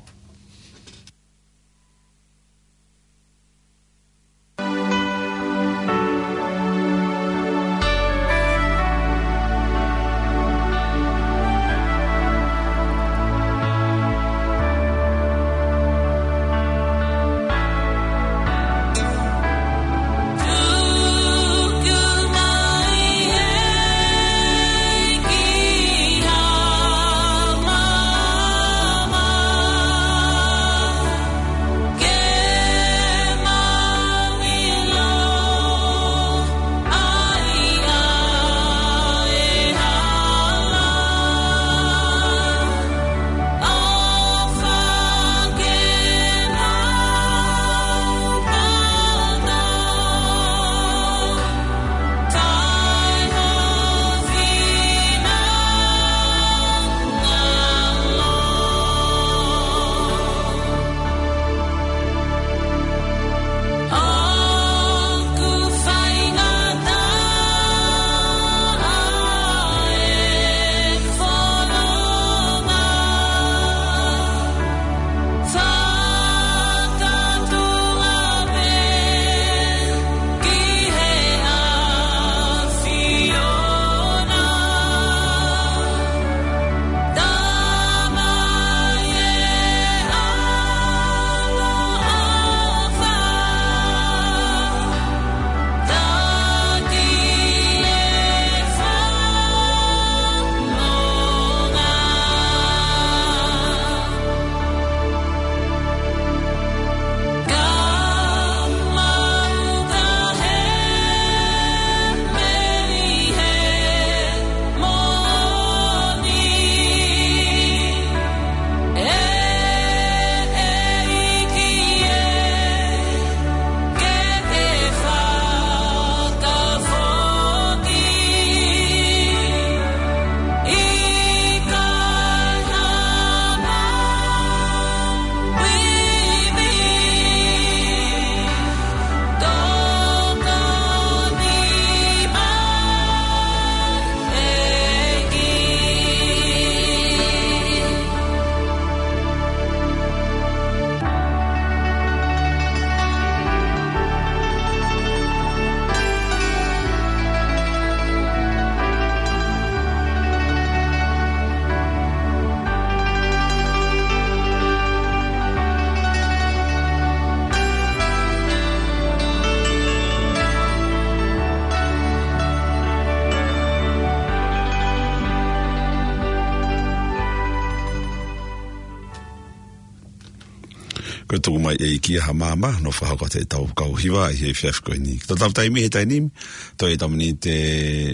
Ko e tuku mai ʻe ʻEiki ʻa Hamama, nofo fakahoko atu ʻetau kau hiva ʻi he efiafi ko eni. Ko ʻetau taimi he taimi ni, toe ʻetau miniti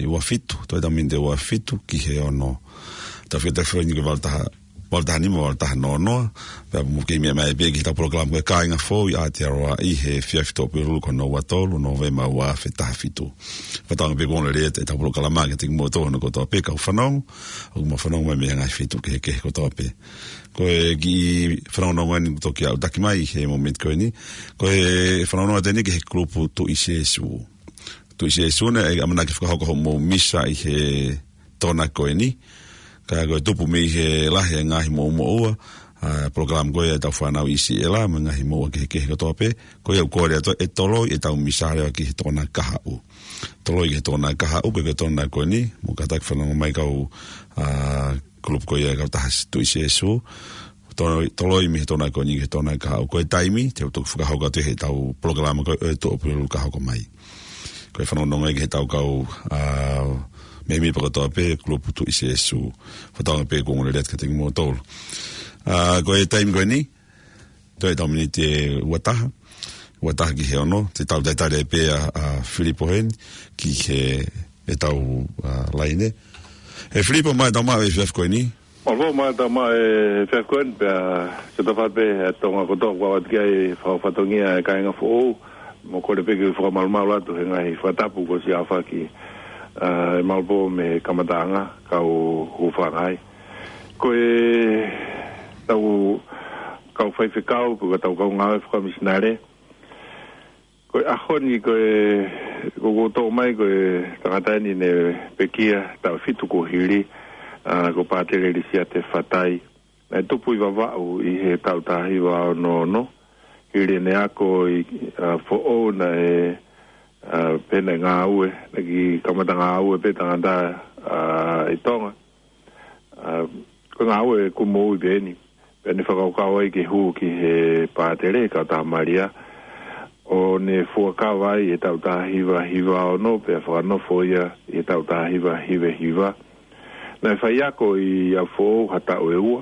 ʻe ua fitu, toe ʻetau miniti ʻe ua fitu ki he ono. Tau fika telefoni ko e valu taha, valu taha nima, valu taha noa noa. Pea mou kei meʻa mai pē ki heʻetau polokalama ko e Kāinga Foʻou ʻi Aotearoa ʻi he efiafi Tuʻapulelulu ko hono ua tolu Nōvema ua afe taha fitu. Fakatauange pē kuo ongoongolelei atu ʻetau polokalama kiate kimoutolu hono kotoa pē kau fanongo, ʻoku mou fanongo mai mei he ngaahi feituʻu kehekehe kotoa pē. Ko e kiʻi fanongonongo eni kuo toki aʻutaki mai he momeniti ko eni. Ko e fanongonongo atu eni ki he kulupu Tuʻi Sēsū. Tuʻi Sēsū naʻe ʻamanaki fakahoko hoʻomou misa ʻi he Tokonaki ko eni. Ka ko e tupu mei he lahi e ngaahi moʻumoʻua, ʻa e polokalama ko ia ʻetau fānau ʻi Siʻela, mo e ngaahi moʻua kehekehe kotoa pē. Ko ia ʻoku kole atu ʻe toloi ʻetau misa leva ki he Tokonaki kahaʻu. Toloi ki he Tokonaki kahaʻu, ko e Tokonaki ko eni, mou kātaki fanongo mai kau, ʻa, kulupu ko ia kautaha Tuʻi Sēsū. Toloi, toloi mei he Tokonaki ko eni ki he Tokonaki kahaʻu. Ko e taimi, te u toki fakahoko atu heʻetau polokalama ko e Tuʻapulelulu ka hoko mai. Ko e fanongonongo ia ki heʻetau kau, ʻa, mēmipa kotoa pē, kulupu Tuʻi Sēsū. Fakatauange pē kuo ongoongolelei atu kiate kimoutolu. ʻA, ko e taimi ko eni, toe ʻetau miniti ʻe ua taha, ua taha ki he ono, te tau talitali pē ʻa, ʻa Filipo heni, ki he, ʻetau, ʻa, laine. ʻE Filipo, mālō e tau maʻu e efiafi ko eni. Mālō, mālō e tau maʻu e efiafi ko eni, pea ke tau fai pē, ʻa Tonga kotoa, kuo ʻoatu ki ai e fakafatongia e Kāinga Foʻou, mo kole pē ke u fakamalumalu atu he ngaahi fakatapu kuo ʻosi ʻaofaki, ʻa, ʻe Malpo mei he kamataʻanga, kau hūfanga ai. Ko e tau kau faifekau, pe ko e tau kau ngāue fakamisinale. Ko e ʻaho ni ko e, ko ʻoku ou toʻo mai ko e tangata eni ne pekia taʻu fitu kuo hili, ʻa, ko Pātele Lisiate Fatai. Naʻe tupu ʻi Vavaʻu ʻi he taʻu taha hiva ono ono. Hili ʻene ako ʻi, ʻa, Foʻou naʻe, ʻa, pehē naʻe ngāue, naʻe kiʻi kamata ngāue pē tangata, ʻa, ʻi Tonga. ʻA, ko e ngāue kuo moʻui pē eni. Pea ne fakakaukau ai ke hū ki he pātele, kautaha Malia. ʻO ne fuakava ai he taʻu taha hiva hiva ono, pea fakanofo ia he taʻu taha hiva hiva hiva. Naʻe faiako ʻi ʻApifoʻou ha taʻu ʻe ua,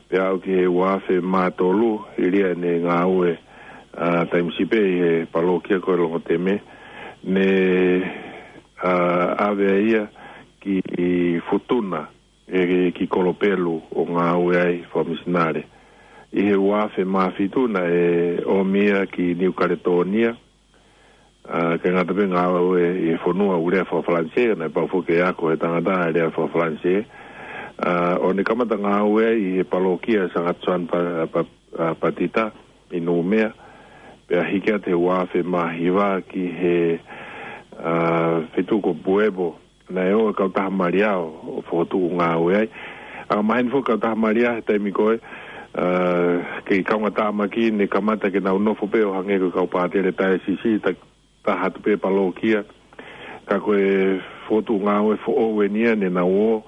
pea aʻu ki he ua afe mā tolu, hili ʻene ngāue, ʻa, taimi siʻi pē ʻi he palokia ko e Longoteme, ne, ʻa, ʻave ai ia ki Futuna, ʻe ki Kolopelu ʻo ngāue ai fakamisinale. ʻI he ua afe mā fitu naʻe ʻomi ia ki Niu Kaletōnia, ʻa, kae ngata pē ngāue ʻi he fonua ʻoku lea faka-Falanisē, naʻe pau foki ke ako he tangata ʻa e lea faka-Falanisē. ʻA, ʻo ne kamata ngāue ai ʻi he palokia Sangato San Pa-, Pa-, ʻa, Patita ʻi Numea. Pea hiki atu he ua afe mā hiva ki he, ʻa, feituʻu ko Puepo, naʻe ō e kautaha Malia ʻo fokotuʻu ngāue ai. ʻA, maheni foki kautaha Malia he taimi ko ē, ʻa, kei kaungātāmaki ne kamata ke nau nofo pē ʻo hangē ko e kau pātele taiosisi, ta-, taha atu pē palokia. Ka ko e fokotuʻu ngāue foʻou eni ia ne nau ō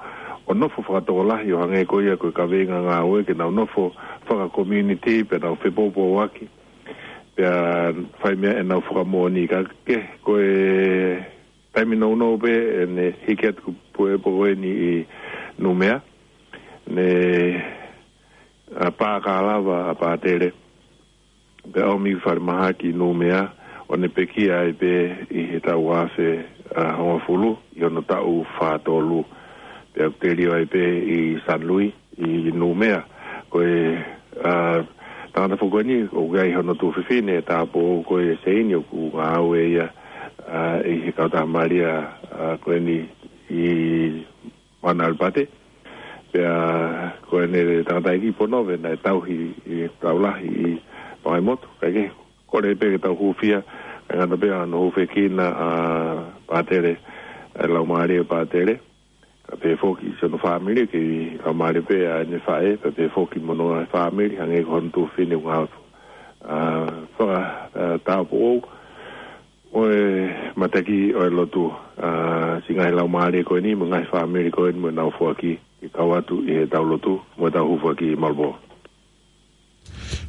ʻo nofo fakatokolahi ʻo hangē ko ia ko e kaveinga ngāue ke nau nofo faka-community pea nau fepoupouaki. Pea fai meʻa ʻenau fakamoʻoni ka ke ko e taimi nounou pē ʻene hiki atu ki Puepo ko eni ʻi Numea. Ne, ʻa, pāka lava ʻa Pātele. Pea ʻomi ki falemahaki ʻi Numea, ʻo ne pekia ai pē ʻi he taʻu ua afe, ʻa, hongofulu, ʻi hono taʻu fā tolu. Pea telio ai pē ʻi San Luis, ʻi Numea. Ko e, ʻa, tangata foki ko eni, ʻoku ʻi ai hono tuofefine, tāupoʻou ko e Seini ʻoku ngāue ia, ʻa, ʻi he kautaha Malia, ʻa, ko eni ʻi Mount Albert. Pea ko ʻene tangataʻeiki Ponove naʻe tauhi ʻi he tau lahi ʻi Pangaimotu. Kae kehe, kole pē ke tau hūfia, kae ngata pē hono hūfekina ʻa Pātele, ʻa e laumālie ʻo Pātele. Kae pehē foki siʻono fāmili, kei laumālie pē ʻa ʻene faʻē, kae pehē foki mo hono fāmili, hangē ko hono tuofefine ʻoku ngāue, ʻa, faka, ʻa, tāupoʻou. ʻO e mataki ʻo e lotu, ʻa, siʻi ngaahi laumālie ko eni, mo e ngaahi fāmili ko eni, mo ʻenau foaki, ke kau atu ʻi heʻetau lotu, mo ʻetau hū foaki Malpo.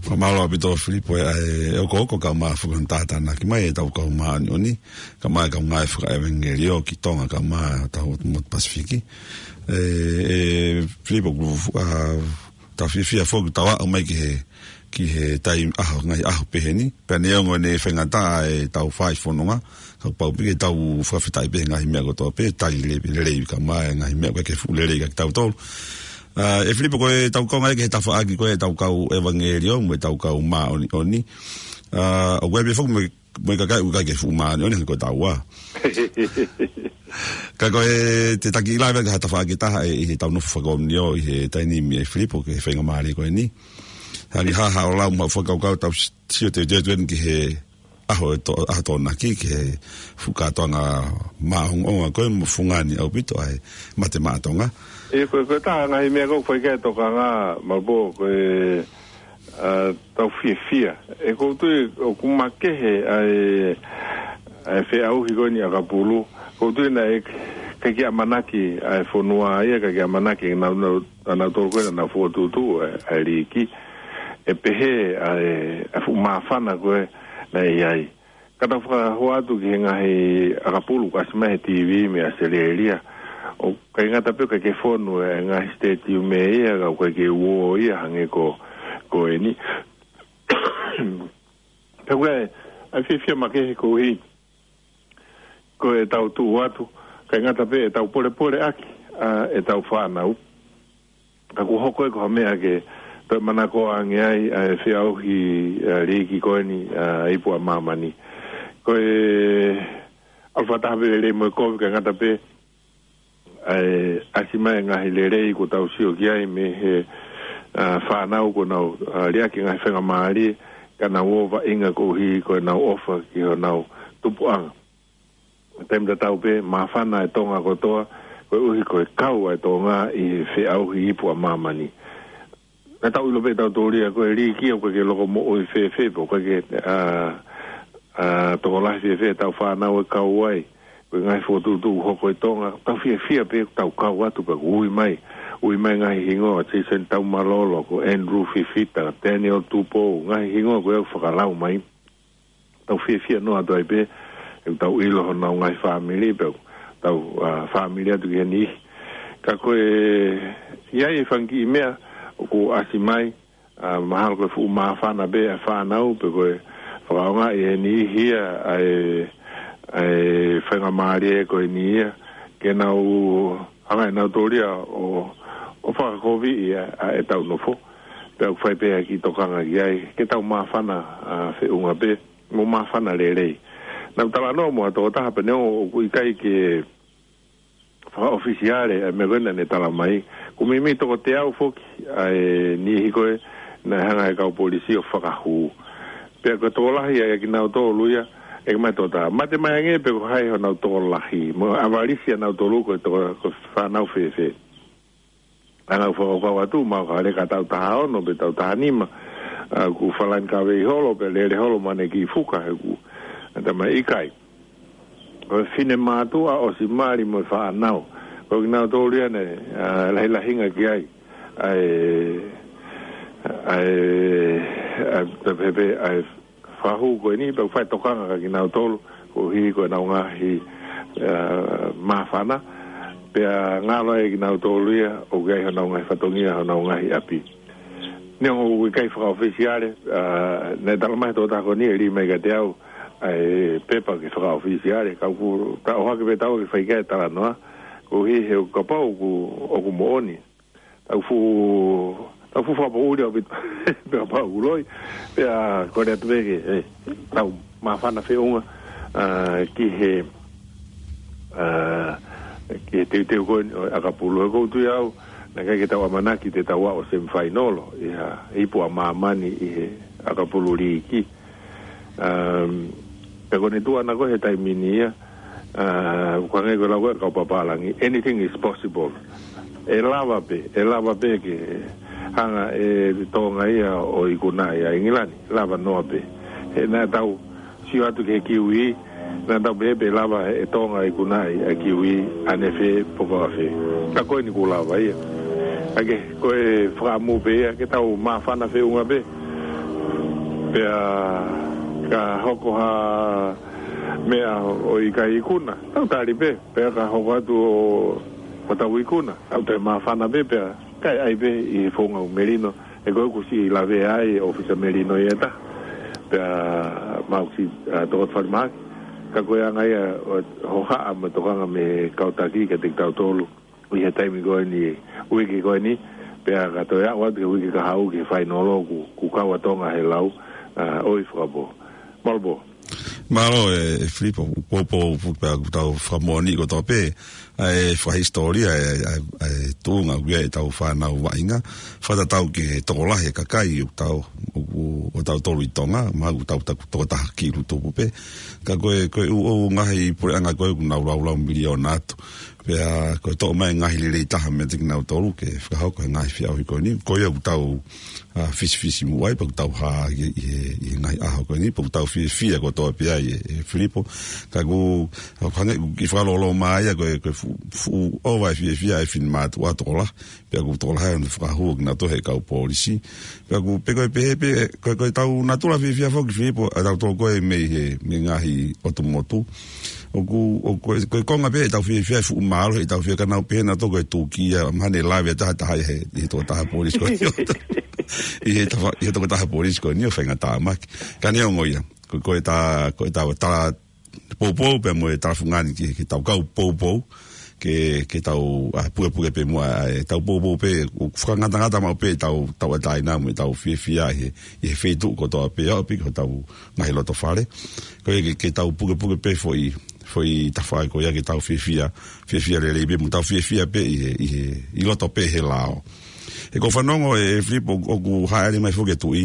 Fakamālō ʻaupito Filipo ʻa e, ʻa e ʻokoʻoko kae ʻumaʻā foki hono tātānaki mai ʻetau kau māʻoniʻoni, kae ʻumaʻā e kau ngāue fakaʻevangeliō ki Tonga kae ʻumaʻā hotau motu Pasifiki. ʻE, ʻe Filipo, ʻoku, ʻa, tau fiefia foki tau aʻu mai ki he, ki he taimi ʻaho, ngaahi ʻaho pehē ni. Pea neongo ʻene faingataʻa ʻetau fai fononga, kapau pē ke tau fakafetaʻi pē he ngaahi meʻa kotoa pē, tali le-, lelei ka mai, ngaahi meʻa ko ē ke fuʻu lelei ka kitautolu. ʻA, ʻe Filipo, ko ʻetau kau ngaahi ki he tafaʻaki ko ē ʻetau kau ʻevangeliō, mo ʻetau kau māʻoniʻoni. ʻA, ʻoku ʻi ai pē foki mo e, mo e kakai ʻoku ʻikai ke fuʻu māʻoniʻoni hangē ko taua. Ka ko e te taki ʻi lave ki ha tafaʻaki ʻe taha ʻi heʻetau nofo fakaʻoniʻoni ʻi he taimi ni, ʻe Filipo, ki he faingamālie ko eni. Hangē ha, ha ʻo lau mo e fakakaukau tau s-, sio teuteu atu eni ki he ʻaho ʻe to-, ʻaho Tokonaki, ki he fuʻu kātoanga māʻongoʻonga ko ē mo fungani ʻaupito ʻa e mate maʻa Tonga. ʻE, ko e, ko e taha ngaahi meʻa ʻoku fai ki ai e tokanga, Malapō, ko e, ʻa, tau fiefia. ʻE, ʻoku ou tui ʻoku makehe ʻa e, ʻa e feʻauhi ko eni ʻakapulu. ʻOku ou tui naʻe ʻikai ke ʻamanaki ʻa e fonua ia, ʻikai ke ʻamanaki ʻe nau, nau, ʻa nautolu ko ē naʻa nau fokotuʻutuʻu ʻa e, ʻa e liiki. ʻE pehē ʻa e, ʻa e fuʻu māfana ko ē naʻe ʻi ai. Ka tau fakahoko atu ki he ngaahi ʻakapulu ʻoku ʻasi mai he TV mei ʻAositelēlia. ʻOku ʻikai ngata pē ʻoku ʻikai ke fonu e ngaahi stadium ia, ka ʻoku ʻikai ke uō ia hangē ko, ko eni. Pea ko e, ʻa e fiefia makehe koeʻuhi ko ʻetau tuʻu atu, ʻikai ngata pē ʻetau polepole ʻaki ʻa ʻetau fānau. Ka kuo hoko ia ko ha meʻa ke toe manako ange ai ʻa e feʻauhi, ʻa, liiki ko eni, ʻa, ipu ʻa māmani. Ko e ʻalu fakataha pē lelei mo e kovi, ʻikai ngata pē ʻa e ʻasi mai e ngaahi lelei kuo tau sio ki ai mei he, ʻa, fānau kuo nau, ʻa, liʻaki e ngaahi faingamālie, ka nau ō vaʻinga koeʻuhi ko ʻenau ʻofa ki honau tupuʻanga. Taimi tatau pē, māfana e Tonga kotoa, koeʻuhi ko e kau ʻa e Tonga ʻi he feʻauhi ipu ʻa māmani. Naʻa tau ʻilo pē ʻe tautolu ia ko e liiki ʻoku ʻikai ke loko moʻui fēfē, pe ʻoku ʻikai ke, ʻa, ʻa, tokolahi fēfē ʻetau fānau ʻe kau ai. Ko e ngaahi fokotuʻutuʻu hoko ʻi Tonga, tau fiefia pē, tau kau atu pē, ui mai. Ui mai ngaahi hingoa, Jason Taumalolo, ko Andrew Fifita, Daniel Tupou, ngaahi hingoa ko ē ʻoku fakalau mai. Tau fiefia noa atu ai pē, ʻe tau ʻilo honau ngaahi fāmili, pea tau, ʻa, fāmili atu ki he niʻihi. Ka ko e, ʻi ai e fanga kiʻi meʻa ʻoku ʻasi mai, ʻa, mahalo ko e fuʻu māfana pē ʻa e fānau, pe ko e fakaʻaongaʻi ʻe he niʻihi ia ʻa e, ʻa e faingamālie ko eni ia, ke nau hanga ʻe nautolu ia ʻo, ʻo fakakoviʻi ʻa, ʻa ʻetau nofo. Pea ʻoku fai pē ʻa e kiʻi tokanga ki ai, ke tau māfana, ʻa, feʻunga pē, mo māfana lelei. Naʻa ku talanoa mo ha tokotaha pea neongo ʻoku ʻikai ke fakaʻofisiale ʻa e meʻa ko ē naʻa ne tala mai. Kuo meimei toko teau foki ʻa e niʻihi ko ē naʻe hanga ʻe he kau polisi ʻo fakahū. Pea ko e tokolahi ia ʻia kinautolu ia, ʻeke mai e tokotaha, mate mai ange pe ko hai honau tokolahi. Mo e ʻavalisi ʻa nautolu ko e toko, ko e fānau fēfē. ʻA ʻeku fakakaukau atu, mahalo ka lele ki he taʻu taha ono pe taʻu taha nima, ʻa, kuo falani kavei holo, pe lele holo mo ʻene kiʻi fuka, he ʻoku, ʻa, tala mai ʻikai. Ko e finemātuʻa ʻosi mali mo e fānau. Ko kinautolu ia naʻe, ʻa, lahilahinga ki ai. ʻA e, ʻa e, ʻa e, pea pehē pē, ʻa e, fakahū ko eni, pea ʻoku fai e tokanga kia kinautolu, koeʻuhi ko ʻenau ngaahi, ʻa, māfana, pea ngalo ai kinautolu ia, ʻoku ʻi ai honau ngaahi fatongia, honau ngaahi ʻapi. Neongo ʻoku ʻikai fakaʻofisiale, ʻa, naʻe tala mai he tokotaha ko eni ʻe lī mai kiate au, ʻa e pepa ke fakaʻofisiale, ka ʻoku ta ʻohake pē taua ke fai ki ai e talanoa, koeʻuhi he ʻoku kapau ʻoku, ʻoku moʻoni. Tau fuʻu, tau fuʻu fakapoʻuli ʻaupito, pea pau kuloi, pea kole atu pē ke, ʻe, tau māfana feʻunga, ʻa, ki he, ʻa, ki he teuteu ko eni ʻo e ʻakapulu. He ʻoku ou tui au, naʻe ʻikai ke tau ʻamanaki te tau aʻu semifinal, ʻi ha ipu ʻa māmani ʻi he ʻakapulu liiki. Um, pea ko ʻene tuʻu ʻana ko ē he taimi ni ia, ʻa, ʻoku hangē ko e lau ko ē ʻa e kau papālangi, anything is possible. ʻE lava pē, ʻe lava pē ke hanga ʻe Tonga ia ʻo ikunaʻi ʻa ʻIngilani, lava noa pē. He naʻa tau sio atu ki he Kiwi, naʻa tau pehē pē lava ʻe Tonga ikunaʻi ʻa e Kiwi ʻanefē pe ko fē. Ka ko eni kuo lava ia. Ka ke, ko e fakaʻamu pē ia, ke tau māfana feʻunga pē. Pea ka hoko ha meʻa ʻo ʻikai ikuna, tau tali pē. Pea ka hoko atu ʻo, ʻo tau ikuna, tau toe māfana pē, pea Kae ʻai pē ʻi he founga ʻo Melino, he ko e ʻusi ʻi lave ai ʻofisa Melino ia ta. Pea mau si, a, toko falemahaki. Ka ko e anga ia ʻo, hohaʻa mo e tokanga mei he kau taki kiate kitautolu. ʻI he taimi ko eni, uike ko eni, pea ka toe aʻu atu ki he uike kahaʻu ki he fainolo kuo, kuo kau ʻa Tonga he lau, a, ʻoi fakapō. Mālō pō. Mālō e, e Filipo, poupou pu pea ʻoku tau fakamoʻoni kotoa pē, ʻa e fakahisitōlia, ʻa e, ʻa e, ʻa e tuʻunga ʻoku ʻi ai ʻetau fānau vaʻinga, fakatatau ki he tokolahi e kakai ʻoku tau, ʻoku, ʻo tautolu ʻi Tonga, mahalo ʻoku tau, tau tokotaha kilu tupu pē. Ka ko e, ko e ʻū, ʻū ngaahi puleʻanga ko ē ʻoku nau laulau miliona atu. Pea ko e toʻo mai e ngaahi lelei taha meiate kinautolu ke fakahoko e ngaahi feʻauhi ko eni. Ko ia ʻoku tau, a, fisifisimuʻa ai, pea ʻoku tau hā ʻi, ʻi he, ʻi he ngaahi ʻaho ko eni, pea ʻoku tau fiefia kotoa pē ai e, e Filipo. Ka ʻoku, ʻoku hangē ʻoku kiʻi fakalōlō mai ia ko e, ko e fuʻu, fuʻu ʻova e fiefia e finemātuʻa tokolahi. Pea ʻoku tokolahi ʻa e fakahū kinautolu he kau polisi. Pea ʻoku pē ko e pehē pē, ko e, ko ʻetau natula fiefia foki Filipo, ʻa tautolu ko ē mei he, mei he ngaahi ʻotu motu. ʻOku, ʻoku, ko e, ko e konga pē ʻetau fiefia e fuʻu mālohi ʻetau fiefia ka nau pehē nautolu ko e tūkia, mahalo ne lave ʻa e taha taha ʻi he, ʻi he tokotaha polisi ko eni. ʻI he tafa-, ʻi he tokotaha polisi ko eni ʻo faingatāmaki. Ka neongo ia, ko, ko ʻeta, ko ʻeta, ta, poupou pē mo e tala fungani ki, ki heʻetau kau poupou, ke, ke tau, a, pukepuke pē muʻa, a, ʻetau poupou pē, ʻo fakangatangata maʻu pē ʻetau, tauʻatāina mo ʻetau fiefia ʻi he, ʻi he feituʻu kotoa pē, ʻo piki hotau ngaahi loto fale. Ko ia ke, ke tau pukepuke pē foʻi, foʻi tafaʻaki ko ia ke tau fiefia, fiefia lelei pē, mo tau fiefia pē ʻi he, ʻi he, ʻi loto pē he lao. He ʻoku ou fanongo e, e Filipo ʻoku, ʻoku hāʻele mai foki e tuʻi,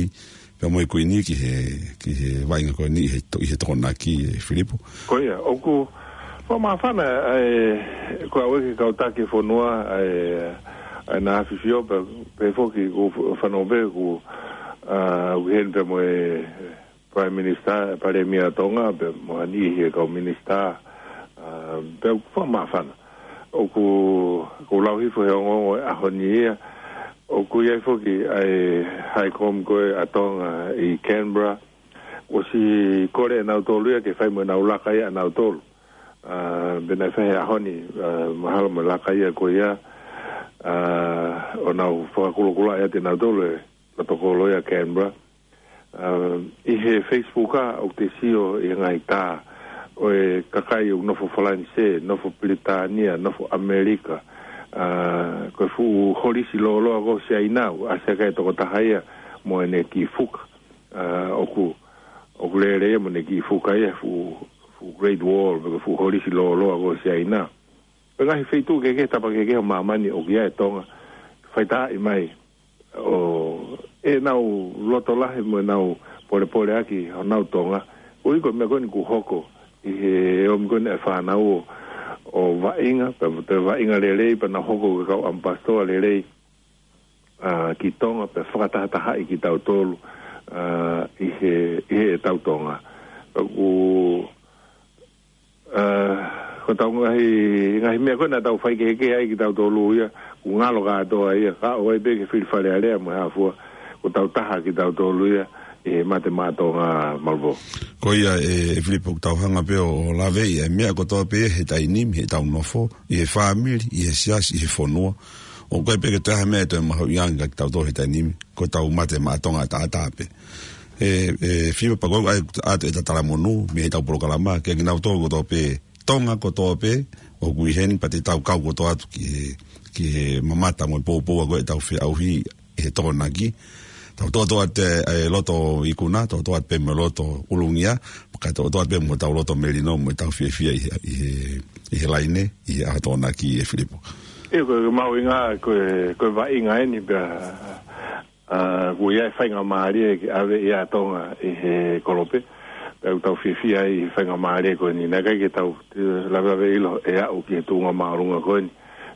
pea mo e kuini ki he, ki he vaʻinga ko eni ʻi he to-, ʻi he Tokonaki e Filipo. Ko ia, ʻoku fakamāfana, ʻa e, ko au e ke kau taki fonua, ʻa e, ʻa e na afifio, pea, pea foki ʻoku f-, fanongo pē ʻoku, a, ʻoku ʻi heni pea mo e Prime Minister, Palēmia Tonga, pea mo ha niʻihi e kau minisitā, a, pea ʻoku fakamāfana. ʻOku, ʻoku lau hifo he ongoongo e ʻaho ni ia, ʻoku ʻi ai foki ʻa e High Com ko ē ʻa Tonga ʻi Canberra, ʻosi kole ʻe nautolu ia ke fai mo ʻenau laka ia ʻanautolu. A, pea naʻe fai he ʻaho ni, a, mahalo mo e laka ia ko ia, a, ʻo nau fakakulokula ʻiate nautolu e protocol ia Canberra. A, ʻi he Facebook ʻa, ʻoku te sio ʻi he ngaahi tā ʻo e kakai ʻoku nofo Falanisē, nofo Pilitānia, nofo ʻAmelika, a, ko e fuʻu holisi lōloa ko Siaina, ʻa Siaina e tokotaha ia mo ʻene kiʻi fuka. A, ʻoku, ʻoku lele ia mo ʻene kiʻi fuka ia, fuʻu, fuʻu Great Wall, pe ko e fuʻu holisi lōloa ko Siaina. Pea ngaahi feituʻu kehekehe, tapa kehekehe ʻo māmani ʻoku ʻi ai e Tonga, faitāʻi mai ʻo ʻenau loto lahi mo ʻenau polepole ʻaki honau Tonga. ʻUhi ko e meʻa ko eni kuo hoko ʻi he ʻomi ko eni e fānau ʻo, ʻo vaʻinga, pea mo e vaʻinga lelei, pea nau hoko ko e kau ʻamipasitoa lelei, a, ki Tonga, pea fakatahatahaʻi kitautolu, a, ʻi he, ʻi heʻetau Tonga. Pea ʻoku, a, ko ʻetau ngaahi, ngaahi meʻa ko ē naʻa tau faikehekehe ai kitautolu ia, ʻoku ngalo kātoa ia, ka ʻoku ʻi ai pē ke fili Fale Alea mo e hā fua, ko ʻetau taha kitautolu ia ʻi he Mate Maʻa Tonga, Mālō pō. Ko ia e, e Filipo, ʻoku tau hanga pē ʻo, ʻo laveʻi e meʻa kotoa pē he taimi ni, heʻetau nofo, ʻi he fāmili, ʻi he siasi, ʻi he fonua. ʻOku ʻikai pē ke toe ʻi ai ha meʻa ʻe toe mahuʻinga ange kiate kitautolu he taimi ni, ko ʻetau Mate Maʻa Tonga ʻataʻatā pē. E, e Filipo, pea ko ia ʻoku ʻoatu ʻeta talamonū mei heʻetau polokalama kiate kinautolu kotoa pē, Tonga kotoa pē ʻoku ʻi heni, pea te tau kau kotoa atu ki he, ki he mamata mo e poupou ko ē ʻetau feʻauhi ʻi he Tokonaki. Tau toʻotoʻo atu e, e loto ikuna, toʻotoʻo atu pē mo e loto ʻulungia, kae toʻotoʻo atu pē mo ʻetau loto melino mo ʻetau fiefia ʻi he, ʻi he, ʻi he laine, ʻi he ʻaho Tokonaki e Filipo. ʻIo, ko e mahuʻinga, ko e, ko e vaʻinga eni pea, a, ʻoku ʻi ai e faingamālie ke ʻave ia ʻa Tonga ʻi he kolope. Pea ʻoku tau fiefia ai ʻi he faingamālie ko eni. Naʻe ʻikai ke tau, e, lavelavea ʻilo ʻe aʻu ki he tuʻunga māʻolunga ko eni.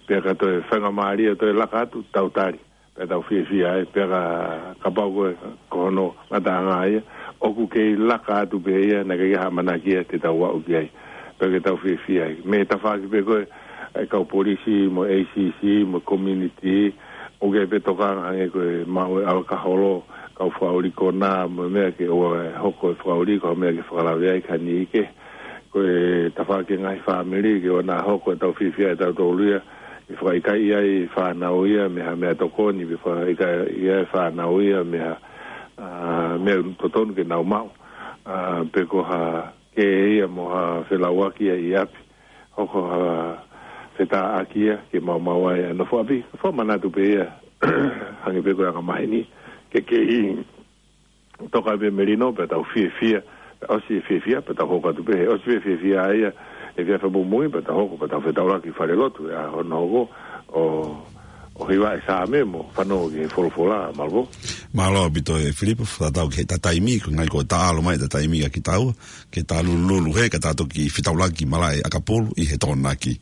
Pea ka toe faingamālie ʻo toe laka atu, tau tali. Pea tau fiefia ai, pea ka, kapau ko e, ko hono ngataʻanga ia, ʻoku kei laka atu pē ia, naʻe ʻikai ke ʻi ai ha ʻamanaki ia te tau aʻu ki ai. Pea ke tau fiefia ai. Mei he tafaʻaki pē ko ē, e kau polisi, mo e A C C, mo e community, ʻoku ʻi ai pē tokanga hangē ko e maʻu e ʻalakaholo, kau fakaʻuli konā, mo e meʻa ke ʻoua ʻe hoko e fakaʻuli, ko e meʻa ke fakalave ai ki ha niʻihi kehe. Ko e tafaʻaki e ngaahi fāmili, ke ʻoua naʻa hoko ʻetau fiefia ʻe tautolu ia, ʻe fakaʻikaiʻi ai fānau ia mei ha meʻatokoni, pe fakaʻikaiʻi ai fānau ia mei ha, ʻa, meʻa totonu ke nau maʻu. ʻA, pe ko ha kē ia mo ha felauʻaki ia ʻi ʻapi. Hoko ha fetāʻaki ia ke maumau ai ʻa e nofo ʻapi. Fakamanatu pē ia, hangē pē ko e anga maheni, ke kei toka pē melino, pea tau fiefia, ʻosi e fiefia, pea tau hoko atu pē, ʻosi pē fiefia ia, ʻe fiefia muimui, pea tau hoko, pea tau fetaulaki fale lotu, ʻa hono hoko, ʻo, ʻo hiva e Saame mo fanongo ki he folofola, mālō. Mālō ʻaupito ʻe Filipo, tatau ki he taimi, ko e ngaahi ko e taʻalo mai e taimi kia kitaua, ke ta lulululu he, ka ta toki fetaulaki malaʻe ʻakapulu ʻi he Tokonaki.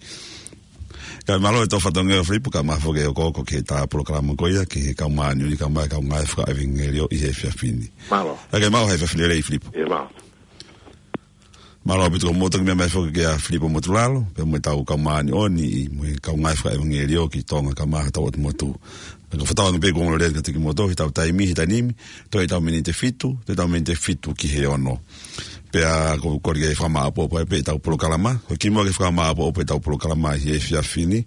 Kae mālō e tau fatongia Filipo, kae ʻumaʻā foki e okooko ki he ʻetau polokalama ko ia, ki he kau māʻoniʻoni, kae ʻumaʻā e kau ngāue fakaʻevangeliō ʻi he efiafi ni. Mālō. Kae ke maʻu ha efiafi lelei Filipo. ʻIo, mālō. Mālō ʻaupito, mou toki meʻa mai foki kia Filipo Motulalo, pea mo e tau kau māʻoniʻoni, mo e kau ngāue fakaʻevangeliō ki Tonga kae ʻumaʻā hotau ʻotu motu. Ka ko e fakatauange pē kuo ongo lelei kiate kimoutolu, he ʻetau taimi, he taimi ni, toe ʻetau miniti ʻe fitu, toe ʻetau miniti ʻe fitu ki he ono. Pea ko e kole ke fakamāʻopoʻopo pē ʻetau polokalama, ko e kimuʻa ke fakamāʻopoʻopo ʻetau polokalama ʻi he efiafi ni,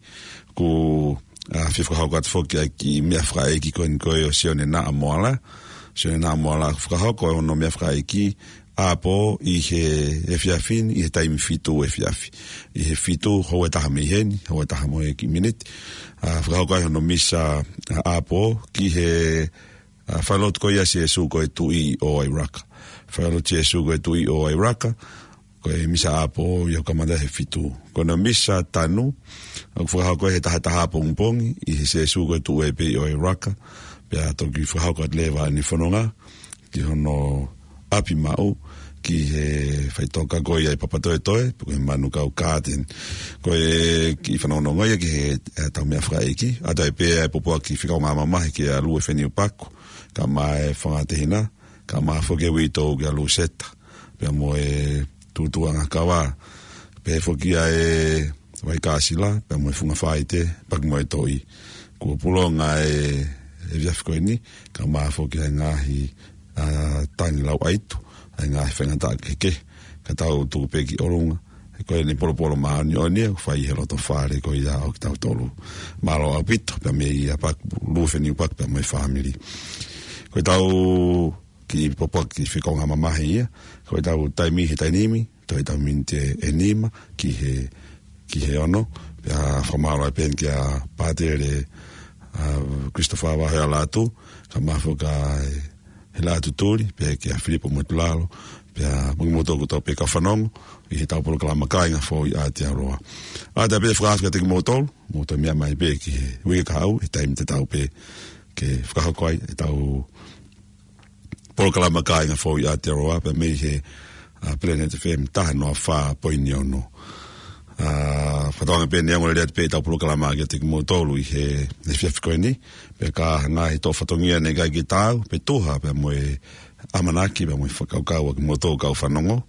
ʻoku, ʻa, fie fakahoko atu foki ʻa e kiʻi meʻa fakaʻeiki ko eni ko ē ʻo Sione Naʻa Moala. Sione Naʻa Moala ʻoku fakahoko hono meʻa fakaʻeiki ʻapō ʻi he efiafi ni, ʻi he taimi fitu efiafi. ʻI he fitu, houa ʻe taha mei heni, houa ʻe taha mo e kiʻi miniti. ʻA, fakahoko ai hono misa, ʻa, ʻapō ki he, ʻa, falelotu ko ia Sīsū ko e Tuʻi ʻo ʻIraka. Falelotu Sīsū ko e Tuʻi ʻo ʻIraka. Ko e misa ʻapō ia ʻoku kamata he fitu. Ko hono misa tanu, ʻoku fakahoko he taha taha pongipongi, ʻi he Sīsū ko e Tuʻi pē ʻo ʻIraka. Pea toki fakahoko atu leva ʻene fononga ki hono ʻapi maʻu, ki he faʻitoka ko ia ʻi Papatoetoe, pe ko e Manukau Garden. Ko e kiʻi fanongonongo ia ki he, ʻetau meʻa fakaʻeiki, ʻa ia pē ʻa e pōpoaki fekauʻanga mamahi kia Lue Feniu Paku, kae ʻumaʻā e fanga tehina, kae ʻumaʻā foki e uitou kia Luseta, pea mo e Tutuʻanga Kava, pehē foki ʻa e Vaikāsila, pea mo e Funga Faite, Paki mo e Toʻi. Kuo pulonga e, e efiafi ko eni, kae ʻumaʻā foki ʻa e ngaahi, ʻa, tangi lauʻaitu, ʻa e ngaahi faingataʻa kehekehe, ka tau tuku pē ki ʻolunga, he ko eni polopolo māʻoniʻoni, ʻoku fai he loto fale ko ia ʻo kitautolu. Mālō ʻaupito, pea mei a Paku, Lue Feniu Paku, pea mo e fāmili. Ko ʻetau kiʻi pōpoaki fekauʻanga mamahi ia, ko ʻetau taimi he taimi ni, toe ʻetau miniti ʻe nima ki he, ki he ono, pea fakamālō ai pē kia Pātele, ʻa, Christopher Vahealatu, kae ʻumaʻā foki ʻa e Hela Tutuli, pea kia Filipo Motulalo, pea mo kimoutolu kotoa pē kau fanongo, ʻi heʻetau polokalama Kāinga Foʻou ʻi Aotearoa. ʻA ia pē fakaafe kiate kimoutolu, mou toe meʻa mai pē ki he uike kahaʻu, he taimi tatau pē, ke fakahoko ai ʻetau polokalama Kāinga Foʻou ʻi Aotearoa, pea mei he, ʻa, Planet F M taha noa fā poini ono. ʻA, fakatauange pē naʻe ongo lelei atu pē ʻetau polokalama kiate kimoutolu ʻi he, he efiafi ko eni, pea ka ʻi ai ha ngaahi toʻo fatongia naʻe ʻikai ke taau, pe tuha, pea mo e ʻamanaki, pea mo e fakakaukau ʻa kimoutolu kau fanongo,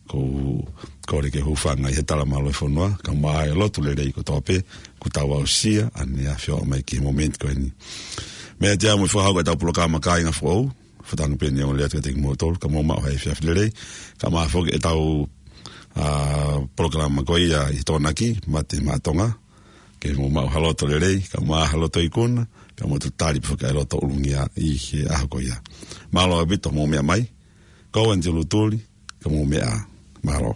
ʻoku ou kole ke hūfanga ʻi he tala mālō e fonua, kae ʻumaʻā e lotu lelei kotoa pē, kuo tau aʻusia, ʻa eni ʻa e ʻaho mai ki he momeniti ko eni. Meʻa atu ia mo e fakahoko ʻetau polokalama Kāinga Foʻou, fakatauange pē naʻe ongo lelei atu kiate kimoutolu, ka mou maʻu ha efiafi lelei, kae ʻumaʻā foki ʻetau, ʻa, polokalama ko ia ʻi he Tokonaki, Mate Maʻa Tonga, ke mou maʻu ha loto lelei, kae ʻumaʻā ha loto ikuna, kae mou toe tali pē foki ʻa e loto ʻulungia ʻi he ʻaho ko ia. Mālō ʻaupito mou meʻa mai, ko au Anti Lutuli, ka mou meʻa ā. Mālō.